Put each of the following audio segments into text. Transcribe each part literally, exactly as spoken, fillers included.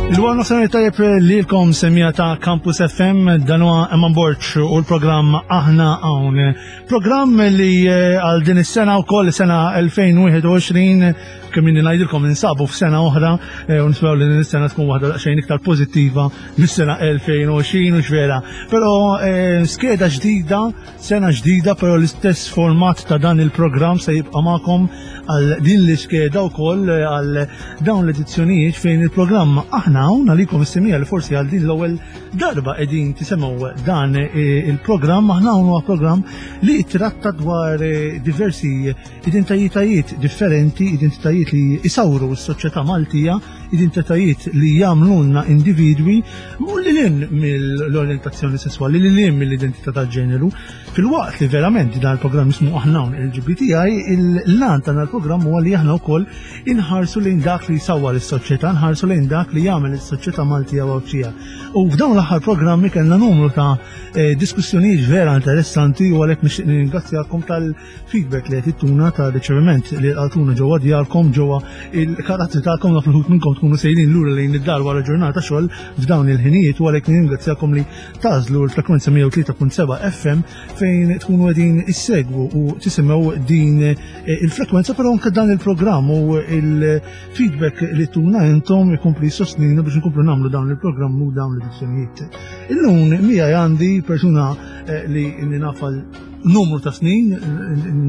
Il-wara nofsinhar tajjeb lilkom semmiegħa ta' Campus F M, dan huwa Eman Borg u l-programm Aħna Hawn. Programm li eh, għal din is-sena wkoll, sena elfejn u wieħed u għoxrin, kemm inni ngħidilkom insabu f'sena oħra eh, u nisperaw li din is-sena tkun waħda daqsxejn iktar pożittiva mis-sena elfejn u għoxrin u xvera. Però eh, skeda ġdida, sena ġdida, però l-istess format ta' dan il-programm se jibqa' magħkom għal din l-iskeda wkoll eh, għal dawn l-edizzjonijiet fejn il-programm Aħna Hawn, għalikom is-semmiegħa li forsi għal din l-ewwel darba qegħdin tisimgħu dan eh, il-programm. Aħna Hawn huwa programm li tratta dwar eh, diversi identitajiet differenti, identitajiet li isawru s-soċjetà Maltija, identitajiet li jagħmluna individwi u li lin mill-orientazzjoni sessuali, li lin mill-identità tal-ġeneru. Filwaqt li verament dan il-programm ismu Aħna Hawn L G B T I, il-għan ta' il-programm huwa li aħna wkoll inħarsu lejn dak li jsawwar is-soċjetà, nħarsu lejn dak li jagħmel is-soċjetà Maltija u Għawdxija. U f'dawn l-aħħar programmi kellna numru ta' eh, diskussjonijiet vera interessanti u għalhekk nixtieq nirringrazzjakom tal-feedback li qed ittuna, ta' riċeviment li għatuna ġewwa djarkom, ġewwa il-karazzi tagħkom. Naf uħud minnkom tkunu sejrin lura lejn id-dar wara ġurnata xogħol f'dawn il-ħinijiet u għalhekk nirringrazzjakom li tagħżlu l-frekwenza mija u tlieta punt seba' F M fejn tkunu qegħdin issegwu u tisimgħu din eh, il-frekwenza, però anke dan il-programm, u il-feedback li tuna intom ikompli sostnina biex nkomplu nagħmlu dawn il-programm u dawn l-edizzjonijiet. Illum miegħi għandi persuna eh, li li naf għal numru ta' snin,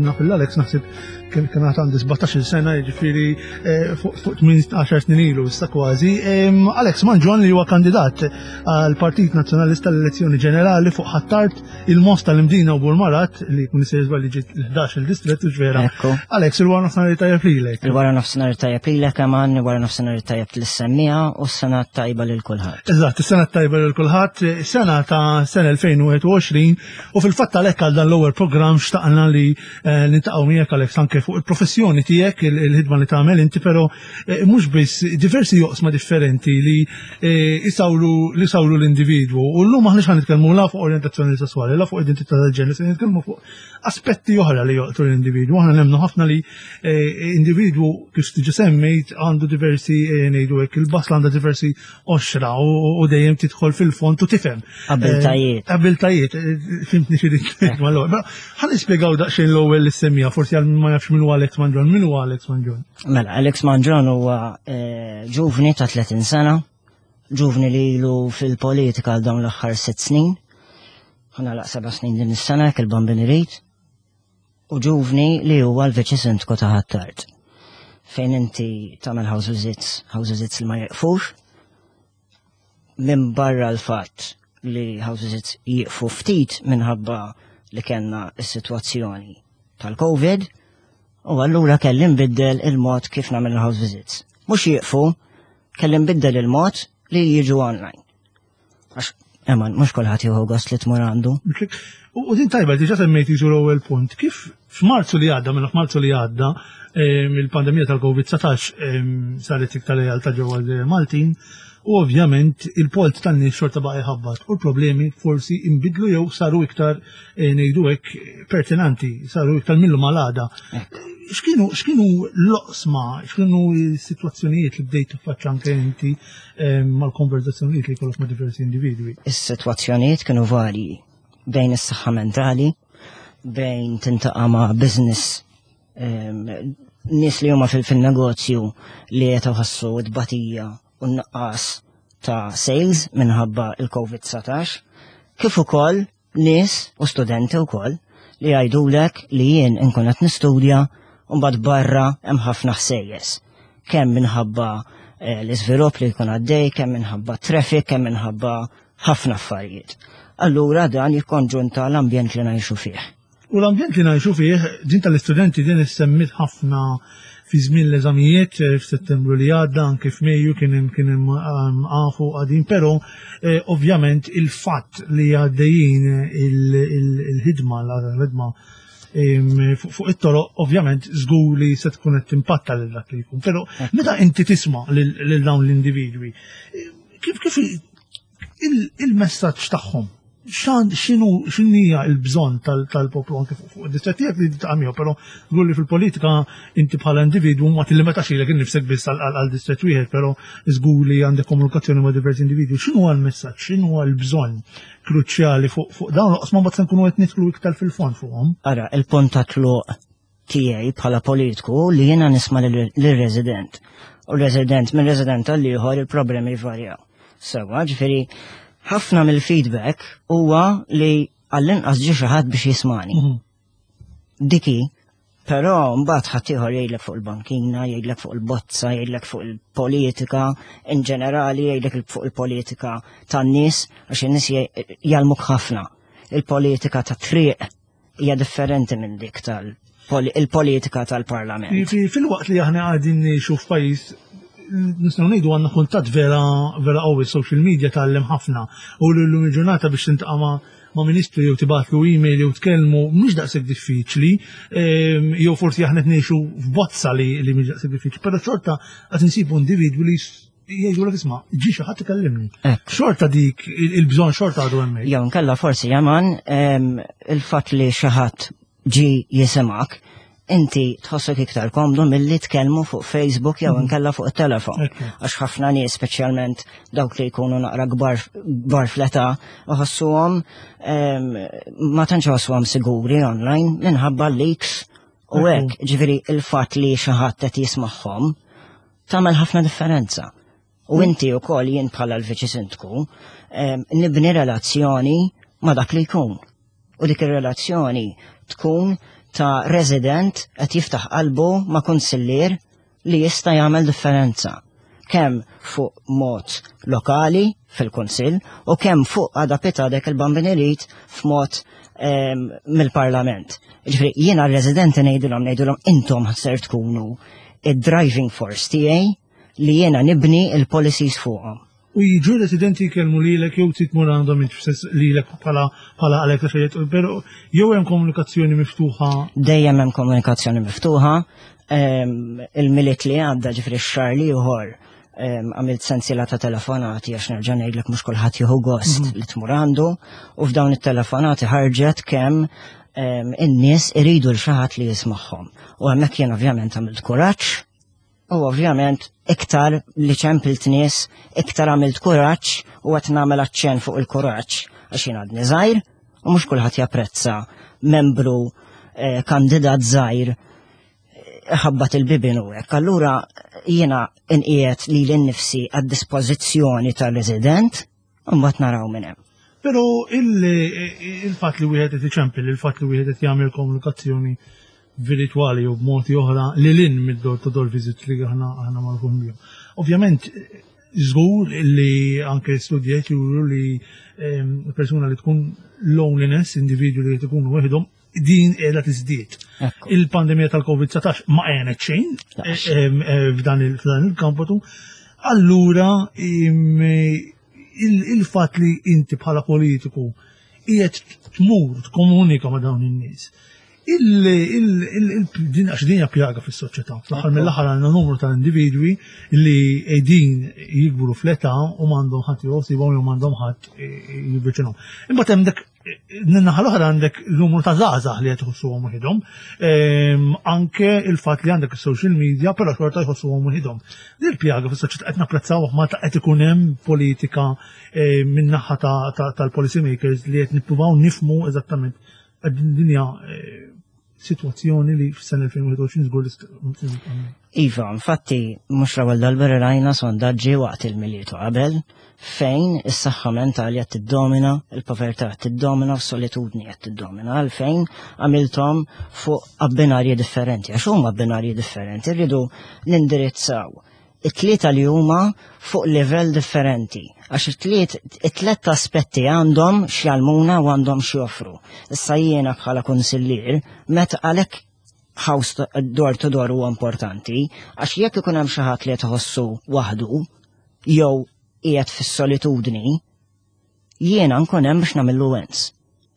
naf l-Alex naħseb kien kien għandi sbatax-il sena, jiġifieri eh, fuq fuq tmintax-il snin ilu issa kważi. Em, Alex Mangion, li huwa kandidat għal Partit Nazzjonalista l-elezzjoni ġenerali fuq Ħ'Attard, il-Mosta, l-Imdina u Burmarat, li kun isir li ġiet l-ħdax il-distret u ġvera. Ekku. Alex, il-wara nofsinhar tajjeb lilek. Il-wara nofsinhar tajjeb lilek, Eman, il-wara nofsinhar tajjeb lis-semmiegħa u s-sena tajba lil kulħadd. Eżatt, is-sena tajba lil kulħadd, sena ta' sena elfejn u wieħed u għoxrin, u fil-fatt għalhekk għal dan l-ewwel programm xtaqna li eh, niltaqgħu miegħek, Alex, anke fuq il-professjoni tiegħek, il- il-ħidma li tagħmel inti, però eh, mhux biss, diversi joqsma differenti li eh, isawru li isawru l-individwu. U llum aħniex ħa nitkellmu la fuq orientazzjoni sessuali, la fuq identità tal-ġeneru, se nitkellmu fuq aspetti oħra li joqtlu l-individwu. Aħna nemmnu ħafna li eh, individwu, kif diġà semmejt, għandu diversi, eh, ngħidu hekk, il-basla għandha diversi oxra u u dejjem tidħol fil-fond u tifhem. Abiltajiet. Eh, Abiltajiet, eh, fhimtni xi mal-ewwel. Però ħa nispjegaw daqsxejn l-ewwel lis-semmiegħa, forsi għal min ma jafx min huwa Alex Mangion, min huwa Alex Mangion? Mela, Alex Mangion huwa eh, ġuvni ta' tletin sena, ġuvni li ilu fil-politika għal dawn l-aħħar sitt snin. Ħa nagħlaq seba' snin din is-sena jekk il-Bambin irid. U ġuvni li huwa l-viċi sindku ta' Ħ'Attard. Fejn inti tagħmel house visits, house visits li ma jeqfux. Minn barra l-fatt li house visits jieqfu ftit minħabba li kellna s-sitwazzjoni tal-Covid, u allura kelli nbiddel il-mod kif nagħmel il-house visits. Mhux jieqfu, kelli nbiddel il-mod li jiġu online. Għax, Eman, mhux kulħadd jieħu gost li tmur għandu. U u din tajba, diġà semmejt jiġu l-ewwel punt. Kif f'Marzu li għadda, mela f'Marzu li għadda, em, il-pandemija tal-Covid dsatax em, saret iktar realtà ġewwa l-Maltin, u ovvjament il-polt tan-nies xorta baqa' jħabbat u l-problemi forsi imbidlu jew saru iktar, eh, ngħidu hekk, pertinanti, saru iktar millu malada. X'kienu x'kienu l-oqsma, x'kienu s-sitwazzjonijiet li bdejt tiffaċċa anke inti em, mal-konverzazzjonijiet li jkollok ma' diversi individwi? Is-sitwazzjonijiet kienu varji, bejn is-saħħa mentali, bejn tiltaqa' ma' business, em, nies li huma fil- fil-negozju li qed iħossu tbatija u nuqqas ta' sales minħabba il-Covid dsatax, kif ukoll nies u studenti wkoll li jgħidulek li jien inkun qed nistudja u mbagħad barra hemm ħafna ħsejjes. Kemm minħabba eh, l-iżvilupp li jkun għaddej, kemm minħabba traffic, kemm minħabba ħafna affarijiet. Allura dan jikkonġunta l-ambjent li ngħixu fih. U l-ambjent li ngħixu fih, din tal-istudenti din issemmit ħafna fi żmien l-eżamijiet eh, f'Settembru li għadda, anke f'Mejju kien hemm kien hemm um, għafu għadin, però eh, ovvjament il-fatt li għaddejjin il- il- il-ħidma l-ħidma em, fuq fuq it-toroq ovvjament żgur li se tkun qed timpatta lil dak li jkun. Però meta inti tisma' lil lil dawn l-individwi, eh, kif kif il- il-messaġġ tagħhom Xan, xinu, x'inhija l-bżonn tal-poplu anke fuq id-distrett tiegħek li taqamiegħu, però żgur li fil-politika inti bħala individwu ma tillimitax lilek innifsek biss għal distrett wieħed, però żgur li għandek komunikazzjoni ma' diversi individwi. X'inhu l-messaġġ, x'inhu l-bżonn kruċjali fuq dawn l-oqsma, mbagħad se nkunu qed nidħlu iktar fil-fond fuqhom? Ara, il-punt ta' tluq tiegħi bħala politiku li jiena nisma' lir-resident. U r-resident minn resident għal ieħor il-problemi jvarjaw. Sewa, ġifieri ħafna mill-feedback huwa li għall-inqas ġie xi ħadd biex jismani. Mhm. Diki, però mbagħad ħadd ieħor jgħidlek fuq il-bankina, jgħidlek fuq il-bozza, jgħidlek fuq il-politika in ġenerali, jgħidlek fuq il-politika tan-nies, għax in-nies jgħallmuk ħafna. Il-politika ta' triq hija differenti minn dik tal il-politika tal-parlament. Fil-waqt li aħna qegħdin ngħixu f'pajjiż, nistgħu ngħidu għandna kuntatt vera vera qawwi, social media tgħallem ħafna u llum il-ġurnata biex tintaqa' ma' ministru jew tibgħatlu email jew tkellmu mhux daqshekk diffiċli, ehm, jew forsi aħna qed ngħixu f'bozza li li mhux daqshekk diffiċli, però xorta qed insibu individwi li jgħidu l isma', ġie xi ħadd ikellimni. Xorta dik il-bżonn xorta għadu hemmhekk. Jew nkella forsi jaman ehm, il-fatt li xi ħadd ġi jisimak, inti tħossok iktar komdu milli tkellmu fuq Facebook jew mhm. inkella fuq it-telefon. Għax ħafna nies, speċjalment dawk li jkunu naqra kbar kbar fl-età, iħossuhom ma tantx iħossuhom siguri online minħabba leaks u hekk, ġifieri il-fatt li xi ħadd qed jismagħhom tagħmel ħafna differenza. U inti wkoll, jien bħala l-viċi sindku, nibni relazzjoni ma' dak li jkun. U dik ir-relazzjoni tkun ta' resident qed jiftaħ qalbu ma' kunsillier li jista' jagħmel differenza. Kemm fuq mod lokali fil-kunsill u kemm fuq għada pitgħadek il-Bambin irid f'mod ehm, mill-parlament. Ġifieri jiena r-residenti ngħidilhom ngħidilhom intom ser tkunu id-driving force tiegħi li jiena nibni il-policies fuqhom. U jiġu residenti jkellmu lilek jew trid tmur għandhom int f'sens lilek bħala bħala għalek l però jew hemm komunikazzjoni miftuħa? Dejjem hemm komunikazzjoni miftuħa. Ehm, Il-Milied li għadda, ġifieri x-xahar l-ieħor, ehm, għamilt sensiela ta' telefonati, għax nerġa' ngħidlek mhux kulħadd jieħu gost li tmur għandu, u f'dawn it-telefonati ħarġet kemm ehm, in-nies iridu l xi ħadd li jismagħhom. U hemmhekk jien ovvjament għamilt kuraġġ u ovvjament iktar li ċempilt nies, iktar għamilt kuraġġ, u qed nagħmel aċċenn fuq il-kuraġġ għax jien għadni żgħir u mhux kulħadd japprezza membru eh, kandidat żgħir ħabbat il-bibien u hekk. Allura jiena inqiegħed li l-nifsi għad-dispożizzjoni tal-resident u mbagħad naraw minn hemm. Però il-fatt li wieħed qed iċempel, il-fatt li wieħed qed jagħmel komunikazzjoni virtuali jew b'modi oħra li lin mid-door to door visit li aħna aħna magħrufin bihom. Ovvjament, żgur li anke studji juru li ehm, persuna li tkun loneliness, individwi li tkun waħedhom, din qiegħda tiżdied. Ekku. Il-pandemija tal-Covid dsatax ma għenet xejn Laqas. ehm, eh, f'dan il- f'dan il-kampotu. Allura im, il- il-fatt li inti bħala politiku qiegħed tmur tkomunika ma' dawn in-nies. Il- il- il- il- din għax din hija pjaga fis-soċjetà. Fl-aħħar mill-aħħar għandna numru ta' individwi li qegħdin jikbru fl-età u m'għandhom ħadd josibhom jew m'għandhom ħadd jivviċinhom. Imbagħad hemm dak Naħa l-oħra għandek numru ta' żgħażagħ li qed iħossuhom waħedhom. Ehm, Anke il-fatt li għandek is-social media, però xorta jħossuhom waħedhom. Din il-pjaga fis-soċjetà qed napprezzaw Malta, qed ikun hemm politika eh, min-naħa ta- ta- tal-policy makers li qed nippruvaw nifhmu eżattament din dinja eh, situazzjoni li fis-sena elfejn u wieħed u għoxrin żgur li st- Iva, infatti, mhux l-ewwel darba li rajna sondaġġi waqt il-Milied u qabel fejn is-saħħa mentali qed tiddomina, il-povertà qed tiddomina, s-solitudni qed tiddomina, għalfejn għamilthom fuq abbinarji differenti, għax huma binarji differenti, rridu nindirizzaw it-tlieta li huma fuq livell differenti. Għax it-tliet it-tlet aspetti għandhom x'jgħallmuna u għandhom x'joffru. Issa jiena bħala kunsillier, meta għalhekk house to- door to door huwa importanti, għax jekk ikun hemm xi ħadd li qed iħossu waħdu jew qiegħed fis-solitudni, jiena nkun hemm biex nagħmillu wens.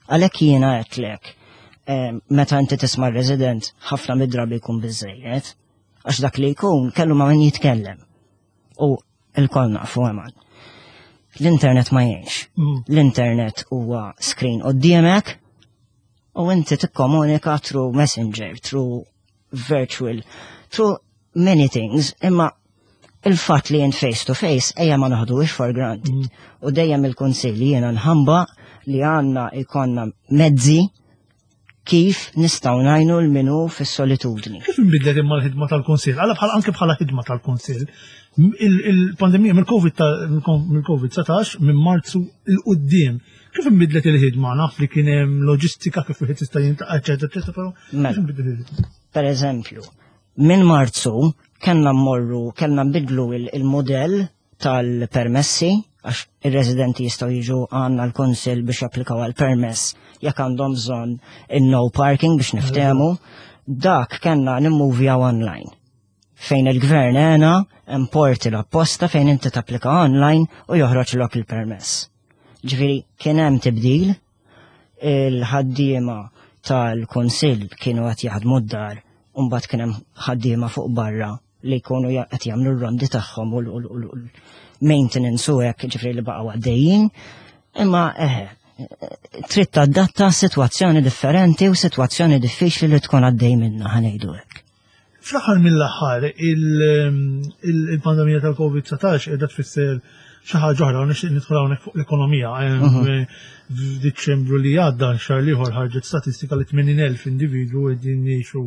Għalhekk jiena għedtlek em, meta inti tisma' resident ħafna mid-drabi jkun biżejjed, għax dak li jkun kellu ma' min jitkellem. U lkoll nafu hemm. L-internet ma jgħinx. Mm. L-internet huwa screen quddiemek u inti tikkomunika through Messenger, through virtual, through many things, imma il-fatt li jien face to face ejja ma naħduhiex for granted. U dejjem il-kunsill jiena nħamba li għandna jkollna mezzi kif nistgħu ngħinu lil min hu fis-solitudni. Kif inbidlet imma l-ħidma tal-Kunsill? Għala bħal anke bħala ħidma tal-Kunsill. Il- Il-pandemija mill-Covid ta' mill-Covid dsatax, minn Marzu 'l quddiem. Kif inbidlet il-ħidma? Naf li kien hemm loġistika kif wieħed jista' jiltaqa', eċetera, eċetera, però Mela. kif inbidlet il-ħidma? Per eżempju, minn Marzu kellna mmorru, kellna nbidlu il- il-modell tal-permessi, għax il-residenti jistgħu jiġu għandna l-kunsill biex japplikaw għal-permess jekk għandhom bżonn il-no parking biex niftehmu, dak kellna nimmuvjaw online. Fejn il-gvern għena hemm portal apposta fejn inti tapplika online u joħroġlok il-permess. Ġifieri kien hemm tibdil, il-ħaddiema tal-kunsill kienu qed jaħdmu d-dar, u mbagħad kien hemm ħaddiema fuq barra li jkunu ja- qed jagħmlu r-rondi tagħhom u l- u l- u l-maintenance u hekk, ġifieri li baqgħu għaddejjin. Imma eħe, trid tadatta sitwazzjoni differenti u sitwazzjoni diffiċli li tkun għaddej minna, ħa ngħidu hekk. Fl-aħħar mill-aħħar, il- il- il-pandemija tal-Covid dsatax qiegħda tfisser xi ħaġa oħra u nixtieq nidħol hawnhekk fuq l-ekonomija. Em, F'Diċembru li għadda, xahar l-ieħor, ħarġet statistika li tmenin elf individwu qegħdin jgħixu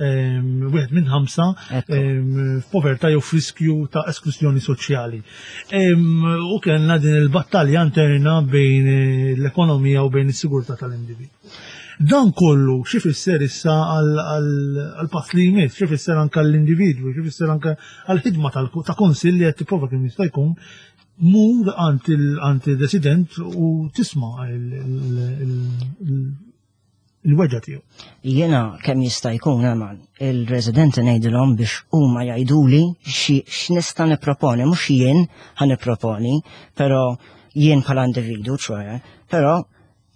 em, wieħed minn ħamsa Ekku. em, f'povertà jew f'riskju ta' esklużjoni soċjali. Em, U kellna din il-battalja interna bejn eh, l-ekonomija u bejn is-sigurtà tal-individwu. Dan kollu xi fisser issa għal pass li jmiss, xi fisser anke għall-individwi, xi fisser anke għall-ħidma ta' kunsill li qed tipprova kemm jista' jkun mur għand il-resident u tisma' il-weġgħa tiegħu. Jiena kemm jista' jkun hemm il-residenti ngħidilhom biex huma jgħiduli x'nista' nipproponi, mhux jien ħa nipproponi, però jien bħala individu, ċoè, però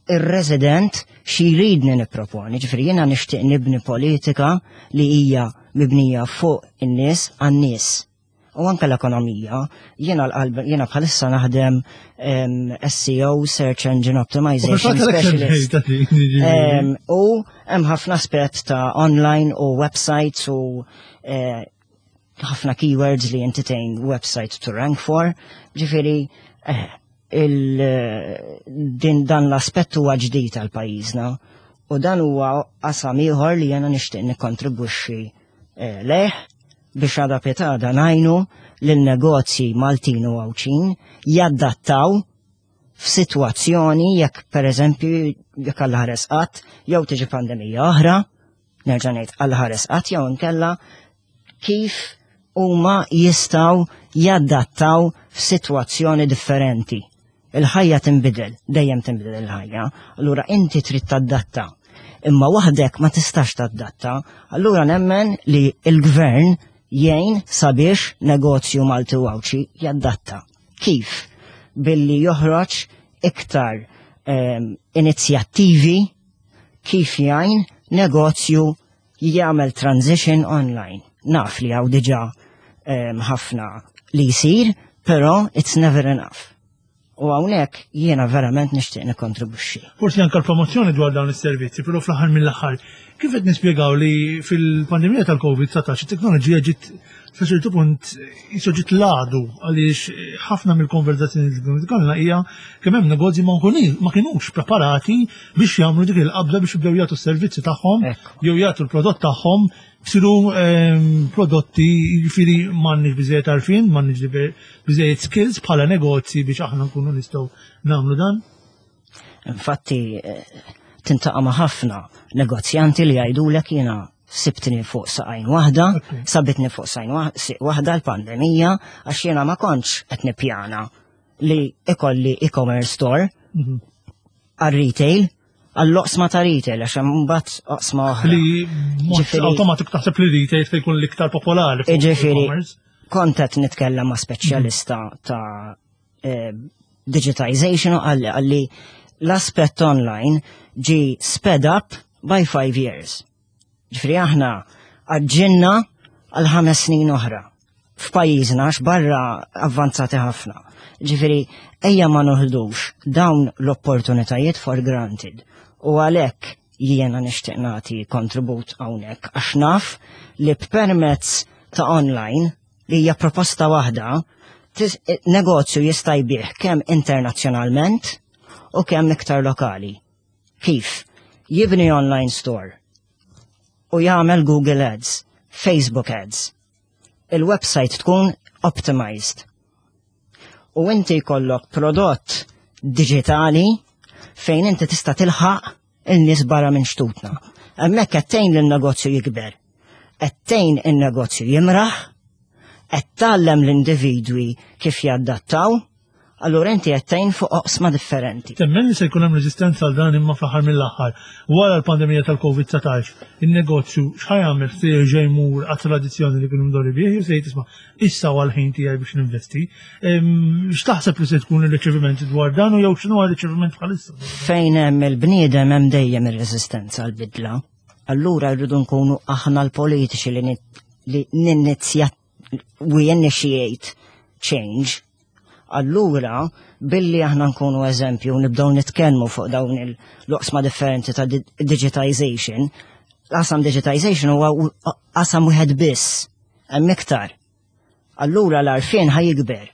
ir-resident xi jridni nipproponi, ġifieri jiena nixtieq nibni politika li hija mibnija fuq in-nies għan-nies. U anke l-ekonomija, jiena l-qalb, jiena bħalissa naħdem S E O, Search Engine Optimization Specialist. U hemm ħafna aspett ta' online u websites u eh, ħafna keywords li inti tgħin website to rank for. Ġifieri, eh, din dan l-aspett huwa ġdid għal pajjiżna u dan huwa qasam ieħor li jiena nixtieq nikkontribwixxi eh, leh biex għada pitgħada ngħinu lil-negozji Maltin u Għawdxin jaddattaw f'sitwazzjoni jekk, per eżempju, jekk Alla ħares qatt jew tiġi pandemija oħra, nerġa' ngħid Alla ħares qatt, jew inkella kif huma jistgħu jaddattaw f'sitwazzjoni differenti. Il-ħajja tinbidel, dejjem tinbidel il-ħajja, allura inti trid tadatta. Imma waħdek ma tistax tadatta, allura nemmen li il-gvern jgħin sabiex negozju Malti u Għawdxi jaddatta. Kif? Billi joħroġ iktar um, inizjattivi kif jgħin negozju jagħmel transition online. Naf li hawn diġà ħafna li jsir, però it's never enough. U hawnhekk jiena verament nixtieq nikkontribwixxi. Forsi anke l-promozzjoni dwar dawn is-servizzi, però fl-aħħar mill-aħħar, kif qed nispjegaw li fil-pandemija tal-Covid dsatax it-teknoloġija ġiet sa ċertu punt jisu ġiet l-għadu, għaliex ħafna mill-konverzazzjoni li kellna hija kemm hemm negozji ma ma kinux preparati biex jagħmlu dik il-qabża biex jibdew jagħtu s-servizzi tagħhom jew jagħtu l-prodott tagħhom, siru ehm, prodotti, jiġifieri m'għandniex biżejjed għarfien, m'għandniex biżejjed skills bħala negozji biex aħna nkunu nistgħu nagħmlu dan. Infatti, eh, tiltaqa' ma' ħafna negozjanti li jgħidulek: "Jiena sibtni fuq saqajn waħda, sabitni fuq saqajn waħda l-pandemija, għax jiena ma kontx qed nippjana li ikolli e-commerce store mhm. għal-retail, għall-oqsma ta' retail, għax mbagħad oqsma oħra." Li automatik taħseb li retail se jkun l-iktar popolari. Ġifieri, kont qed nitkellem ma' speċjalista ta' eh, digitization u għalli l-aspett online ġi sped up by five years. Ġifieri aħna għaġġilna għal ħames snin oħra. F'pajjiżna, għax barra avvanzati ħafna. Ġifieri, ejja ma noħdux dawn l-opportunitajiet for granted. U għalhekk jiena nixtieq nagħti kontribut hawnhekk, għax naf li b'permezz ta' online, li hija proposta waħda, tis- negozju jista' jbih kemm internazzjonalment u kemm iktar lokali. Kif? Jibni online store u jagħmel Google Ads, Facebook Ads. Il-website tkun optimized. U inti jkollok prodott digitali fejn inti tista' tilħaq in-nies barra minn xtutna. Hemmhekk qed tgħin lin-negozju jikber. Qed tgħin in-negozju jimraħ, qed tgħallem l-individwi kif jaddattaw, allura inti qed tgħin fuq oqsma differenti. Temmen li se jkun hemm reżistenza għal dan, imma fl-aħħar mill-aħħar, wara l-pandemija tal-Covid dsatax, in-negozju x'ħa jagħmel? Se jerġa' jmur għat-tradizzjoni li kienu mdorri bih, jew se jgħid, "Isma', issa huwa l-ħin tiegħi biex ninvesti"? Em, X'taħseb li se tkun ir-riċeviment dwar dan u jew x'inhu r-riċeviment bħalissa? Fejn hemm il-bniedem hemm dejjem ir-reżistenza għall-bidla. Allura rridu nkunu aħna l-politiċi li nit- li ninizja we initiate change. Allura, billi aħna nkunu eżempju u nibdew nitkellmu fuq dawn il-loqsma differenti ta' di- digitization, l-qasam digitization huwa u- qasam wieħed biss, hemm iktar. Allura l-għarfien ħa jikber.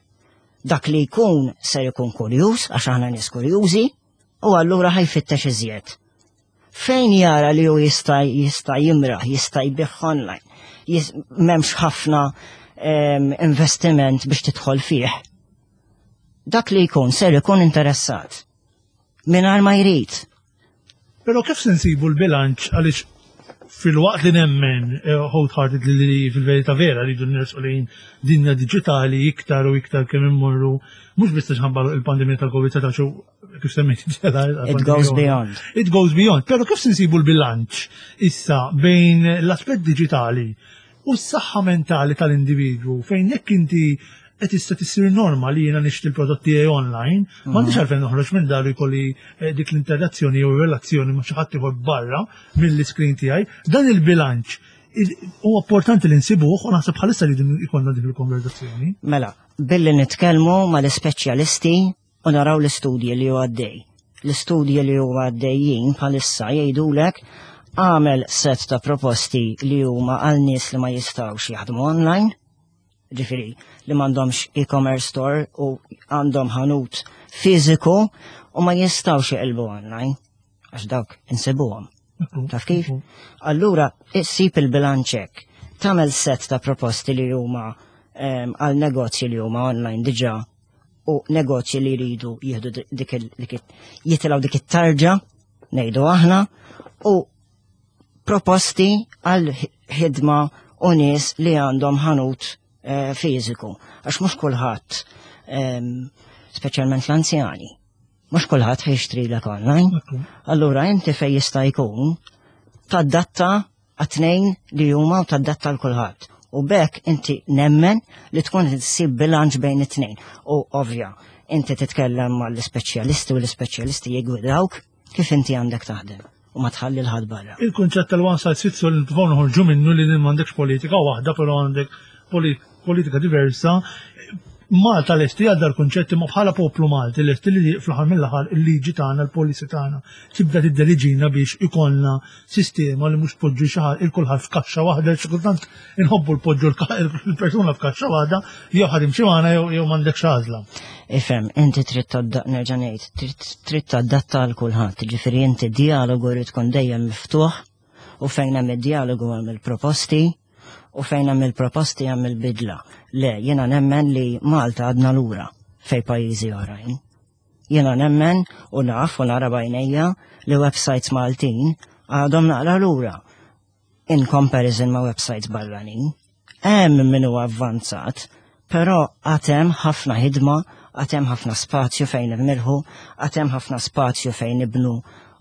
Dak li jkun ser ikun kurjuż, għax aħna nies kurjużi, u allura ħa jfittex iżjed. Fejn jara li hu jista' jista' jimraħ, jista' jbigħ online, jis- m'hemmx ħafna em, investiment biex tidħol fih. Dak li jkun ser ikun interessat. Mingħajr ma jrid. Però kif se nsibu l-bilanċ, għaliex filwaqt li nemmen eh, wholehearted li fil-verità vera rridu nersqu lejn dinja digitali iktar u iktar kemm immorru, mhux biss ħabba il-pandemija tal-Covid dsatax u kif semmejt. It goes beyond. It goes beyond. Però kif se nsibu l-bilanċ issa bejn l-aspett digitali u s-saħħa mentali tal-individwu, fejn jekk inti qed issa tissir norma li jiena nixtri l-prodotti tiegħi online, m'għandix għalfejn noħroġ minn dar u jkolli eh, dik l-interazzjoni jew relazzjoni ma' xi ħadd ieħor barra mill-iskrin tiegħi? Dan il-bilanċ il- huwa importanti li nsibuh u naħseb bħalissa li din ikollna dik il-konverzazzjoni. Mela, billi nitkellmu mal-ispeċjalisti u naraw l-istudji li huwa għaddej. L-istudji li huwa għaddejjin bħalissa jgħidulek għamel set ta' proposti li huma għal nies li ma jistgħux jaħdmu online, ġifieri li m'għandhomx e-commerce store u għandhom ħanut fiżiku u ma jistgħux jaqilbu online, għax dawk insibuhom. Taf kif? Allura, issib il-bilanċ hekk. Tagħmel set ta' proposti li huma em, għal negozji li huma online diġà u negozji li jridu jieħdu dik il- dik il- jitilgħu dik it-tarġa, ngħidu aħna, u proposti għal ħidma u nies li għandhom ħanut eh, fiżiku. Għax mhux kulħadd, em, speċjalment l-anzjani, mhux kulħadd ħa jixtrilek online. Allura inti fej jista' jkun tadatta għat-tnejn li huma u tadatta l kulħadd. U b'hekk inti nemmen li tkun issib bilanċ bejn it-tnejn. U ovvja, inti titkellem mal-ispeċjalisti u l-ispeċjalisti jigwidawk kif inti għandek taħdem u ma tħalli 'l ħadd barra. Il-kunċett tal-one size fits all nippruvaw noħorġu minnu, li m'għandekx politika waħda, però għandek poli- politika diversa. Malta lesti għal dal-kunċetti, ma bħala poplu Malti lesti li fl-aħħar mill-aħħar il-liġi tagħna, il-policy tagħna tibda tiddeliġina biex ikollna sistema li mhux poġġu xi ħadd il-kulħadd f'kaxxa waħda? Xi kultant inħobbu l-poġġu l-persuna f'kaxxa waħda, jew ħa timxi magħna jew jew m'għandekx għażla. Ifhem, inti trid tadda nerġa' ngħid, trid trid tadatta għal kulħadd, ġifieri inti dialogu jrid tkun dejjem miftuħ u fejn hemm id-dialogu hemm il-proposti u fejn hemm il-proposti hemm il-bidla. Le, jiena nemmen li Malta għadna lura fej pajjiżi oħrajn. Jiena nemmen u naf u nara b'għajnejja li websites Maltin għadhom naqra lura in comparison ma' websites barranin. Hemm min huwa avvanzat, però għad hemm ħafna ħidma, għad hemm ħafna spazju fejn nmirħu, għad hemm ħafna spazju fejn nibnu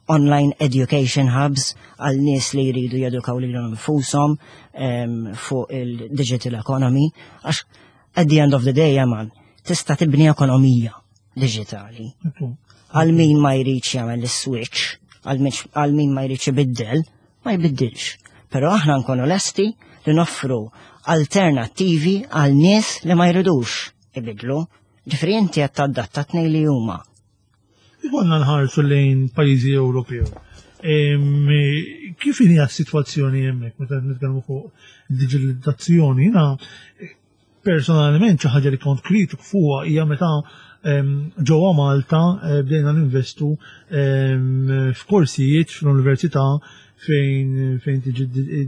online education hubs għal nies li jridu jedukaw lilhom infushom em, fuq il-digital economy, għax at the end of the day, man, tista' tibni ekonomija digitali. Għal min ma jridx jagħmel is-switch, għal min- għal min ma jridx ibiddel, ma jbiddilx. Però aħna nkunu lesti li noffru Alternattivi għal nies li ma jridux ibidlu. Ġifieri inti qed tadatta tnejn li huma. Ikollna nħarsu lejn pajjiżi Ewropew. Kif inhi s-sitwazzjoni hemmhekk meta nitkellmu fuq digitalizzazzjoni? Jiena personalment xi ħaġa li kont kritiku fuqha hija meta ġewwa Malta eh, bdejna ninvestu f'korsijiet fl-università fejn fejn tiġi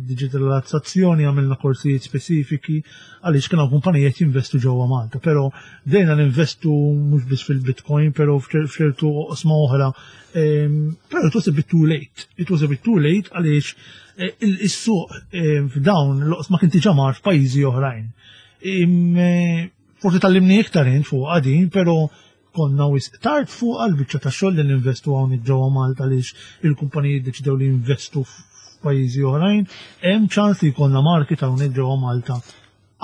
digitalizzazzjoni, għamilna korsijiet speċifiki għaliex kienu kumpanijiet jinvestu ġewwa Malta, però bdejna ninvestu mhux biss fil-Bitcoin, però f'ċertu oqsma oħra. Però it was a bit too late. It was a bit too late għaliex eh, is-suq f'dawn l-oqsma kien diġà mar f'pajjiżi oħrajn. Eh, forsi tgħallimni iktar int fuq għadin, però konna wisq tard fuq għal-biċċa ta' xogħol li ninvestu hawn ġewwa Malta għaliex il-kumpaniji deċidew li jinvestu f'pajjiżi oħrajn. Hemm ċans li jkollna market hawnhekk ġewwa Malta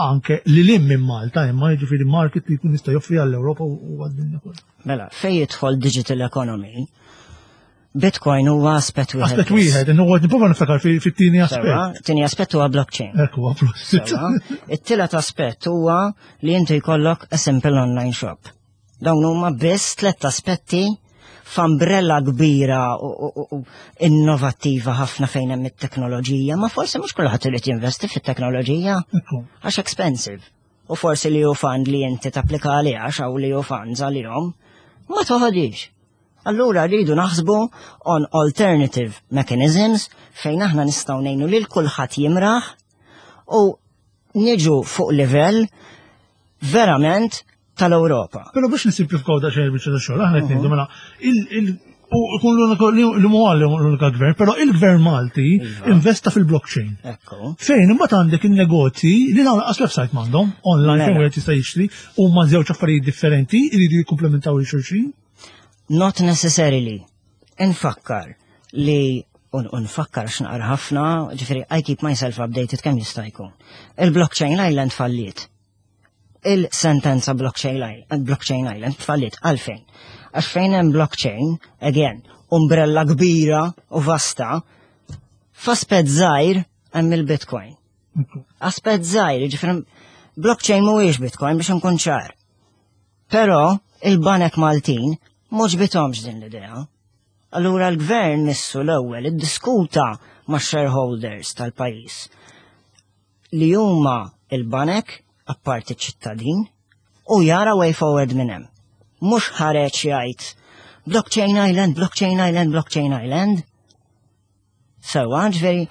anke li lim minn Malta, imma jiġifieri market li jkun jista' joffri għall-Ewropa u għad-dinja kollha. Mela, fej jidħol digital economy, Bitcoin huwa aspett wieħed. Aspett wieħed, innu għad nipprova niftakar fit-tieni aspett. Tieni aspett huwa blockchain. Ekku, Sewwa. It-tielet aspett huwa li inti jkollok a simple online shop. Dawn huma biss tliet aspetti f'umbrella kbira u innovattiva ħafna fejn hemm it-teknoloġija, ma forsi mhux kulħadd irid jinvesti fit-teknoloġija għax expensive. U forsi li hu fund li inti tapplika għalih għax hawn li hu funds għalihom, ma toħodix. Allura rridu naħsbu on alternative mechanisms fejn aħna nistgħu ngħinu lil kulħadd jimraħ u niġu fuq livell verament tal-Ewropa. Però biex nisimplifikaw da xejn biex xogħol, aħna qed ngħidu mela il u kun l-unika li mhu l-unika gvern, però il-gvern Malti Iva. investa fil-blockchain. Ekku. Fejn imbagħad għandek in-negozji li dawn lanqas website m'għandhom online fejn Mela. wieħed jista' jixtri huma żewġ affarijiet differenti jridu jikkumplementaw lil xulxin. Not necessarily. Infakkar li un nfakkar x'naqra ħafna, ġifieri I keep myself updated kemm jista' jkun. Il-Blockchain Island falliet. Il-sentenza Blockchain Island, Blockchain Island falliet għalfejn. Għax fejn hemm blockchain, again, umbrella kbira u vasta, f'aspett żgħir hemm il-Bitcoin. Aspett żgħir, ġifieri blockchain mhuwiex Bitcoin biex nkun ċar. Però il-banek Maltin mhux bitomx din l-idea. Allura l-gvern missu l-ewwel iddiskuta ma' shareholders tal-pajjiż li huma il-banek apparti ċittadin u jara way forward minn hemm. Mhux ħareġ jgħid Blockchain Island, Blockchain Island, Blockchain Island. Sewwa, ġifieri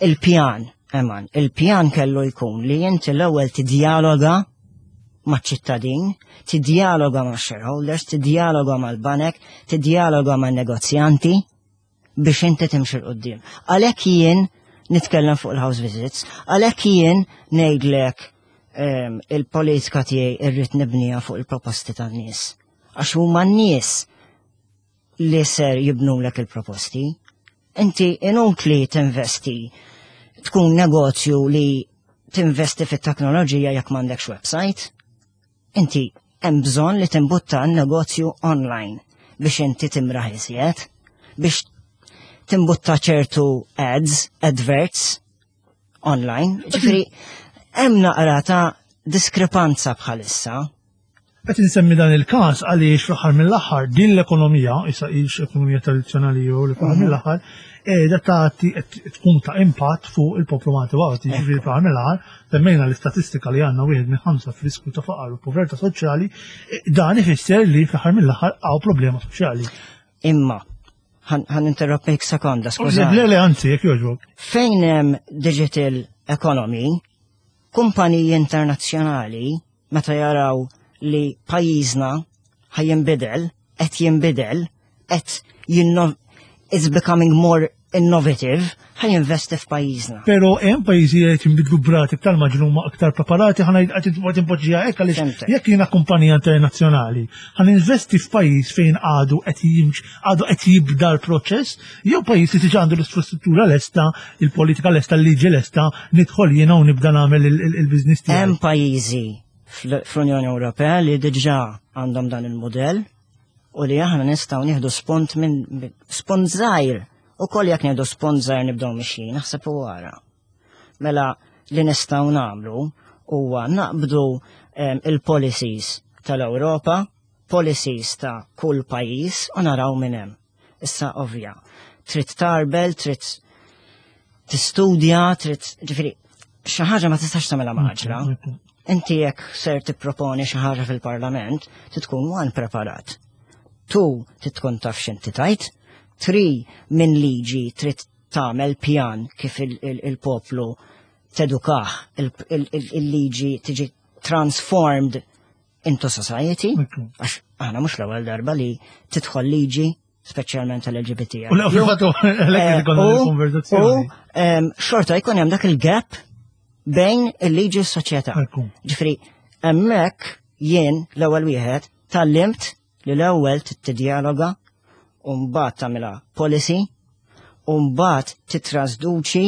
il-pjan, eman, il-pjan kellu jkun li inti l-ewwel tidjaloga maċ-ċittadin, tidjaloga ma' shareholders, tidjaloga mal-banek, tidjaloga ma' negozjanti biex inti timxi 'l quddiem. Għalhekk jien nitkellem fuq il-house visits, għalhekk jien ngħidlek em, il-politika tiegħi irrid nibniha fuq il-proposti tan-nies. Għax huma n-nies li ser jibnulek il-proposti. Inti inutli tinvesti tkun negozju li tinvesti fit-teknoloġija jekk m'għandekx website. Inti hemm bżonn li timbutta n-negozju online biex inti timraħ iżjed, biex timbutta ċertu ads, adverts online. Ġifieri hemm naqra ta' diskrepanza bħalissa. Qed insemmi dan il-każ għaliex fl-aħħar mill-aħħar din l-ekonomija, issa ix ekonomija tradizzjonali jew li fl-aħħar mill-aħħar, qiegħda tagħti qed tkun ta' impatt fuq il-poplu Malti Għawdxi. Jiġifieri fl-aħħar mill-aħħar semmejna l-istatistika li għandna wieħed minn ħamsa f'riskju ta' faqar u povertà soċjali, dan ifisser li fl-aħħar mill-aħħar hawn problema soċjali. Imma, ħa ninterrompik sekonda, skuża. Le, le, anzi, jekk jogħġbok. Fejn hemm digital economy, kumpaniji internazzjonali meta jaraw li pajjiżna ħa jinbidel, qed jinbidel, qed jinno it's becoming more innovative, ħa jinvesti f'pajjiżna. Pero hemm pajjiżi qed jinbidlu b'rati iktar maġluma aktar preparati ħa ngħid qed impoġġiha hekk għaliex Fhimtek. jekk jiena kumpanija internazzjonali ħa ninvesti f'pajjiż fejn għadu qed jimx għadu qed jibda l-proċess jew pajjiż li diġà għandu l-istruttura lesta, il-politika lesta, l-liġi lesta, nidħol jiena u nibda nagħmel il- il- il-business tiegħi. Hemm pajjiżi fl- fl-Unjoni Ewropea li diġà għandhom dan il-modell u li aħna nistgħu nieħdu spunt minn spunt żgħir. Ukoll jekk nieħdu spunt żgħir nibdew mixjin, naħseb u wara. Mela, li nistgħu nagħmlu huwa naqbdu em, il-policies tal-Ewropa, policies ta' kull pajjiż u naraw minn hemm. Issa ovvja, trid tarbel, trid tistudja, trid ġifieri xi ħaġa ma tistax tagħmilha maġla. Inti jekk ser tipproponi xi ħaġa fil-Parlament, trid tkun one preparat. Two, trid tkun taf x'inti tajt. Three, minn liġi trid tagħmel pjan kif il- il- il-poplu tedukah, il-liġi tiġi transformed into society, għax aħna mhux l-ewwel darba li tidħol liġi speċjalment tal-L G B T. U fil-fattu, l konna U- konverzazzjoni. U em, xorta jkun hemm dak il-gap bejn il-liġi u s-soċjetà. Ekku. Ġifieri, hemmhekk jien l-ewwel wieħed tgħallimt li l-ewwel tiddialoga u mbagħad tagħmilha policy u mbagħad titrasduċi,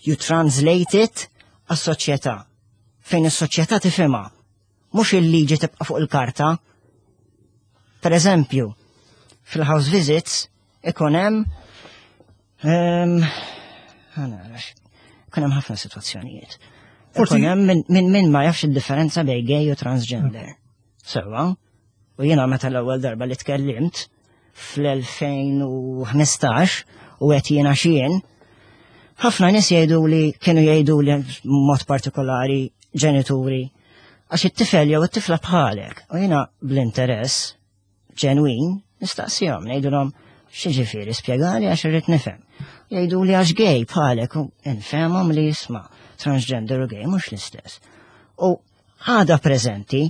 you translate it għas-soċjetà. Fejn is-soċjetà tifhimha. Mhux il-liġi tibqa' fuq il-karta. Per eżempju, fil-house visits ikun hemm ehm, ħa nara, ikun hemm ħafna sitwazzjonijiet. Forsi- Ikun hemm min, min, min ma jafx id-differenza bejn gay u transgender. Sewwa, u jiena meta l-ewwel darba li tkellimt fl-elfejn u ħmistax u qed jiena xien, ħafna nies jgħidu li kienu jgħidu li mod partikolari ġenituri għax it-tifel jew it-tifla bħalek. U jiena bl-interess ġenwin nistaqsihom ngħidulhom x'jiġifieri, spjegali għax irrid nifhem. Jgħidu li għax gay bħalek u nfehmhom li jisma' transgender u gay mhux l-istess. U għada preżenti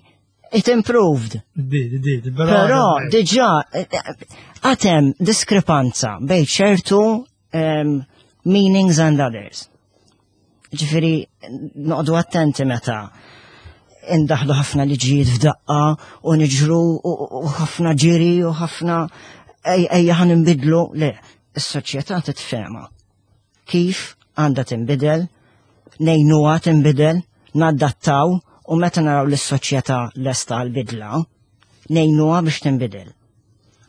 it improved. Did, did, Però diġà għad hemm diskrepanza bejn ċertu um, meanings and others. Ġifieri, noqogħdu attenti meta indaħlu ħafna liġijiet f'daqqa u niġru u u ħafna ġiri u ħafna ejja ħa nbidlu. Le, is-soċjetà titfehma. Kif għandha tinbidel, ngħinuha tinbidel, nadattaw u meta naraw li s-soċjetà lesta għal-bidla, ngħinuha biex tinbidel.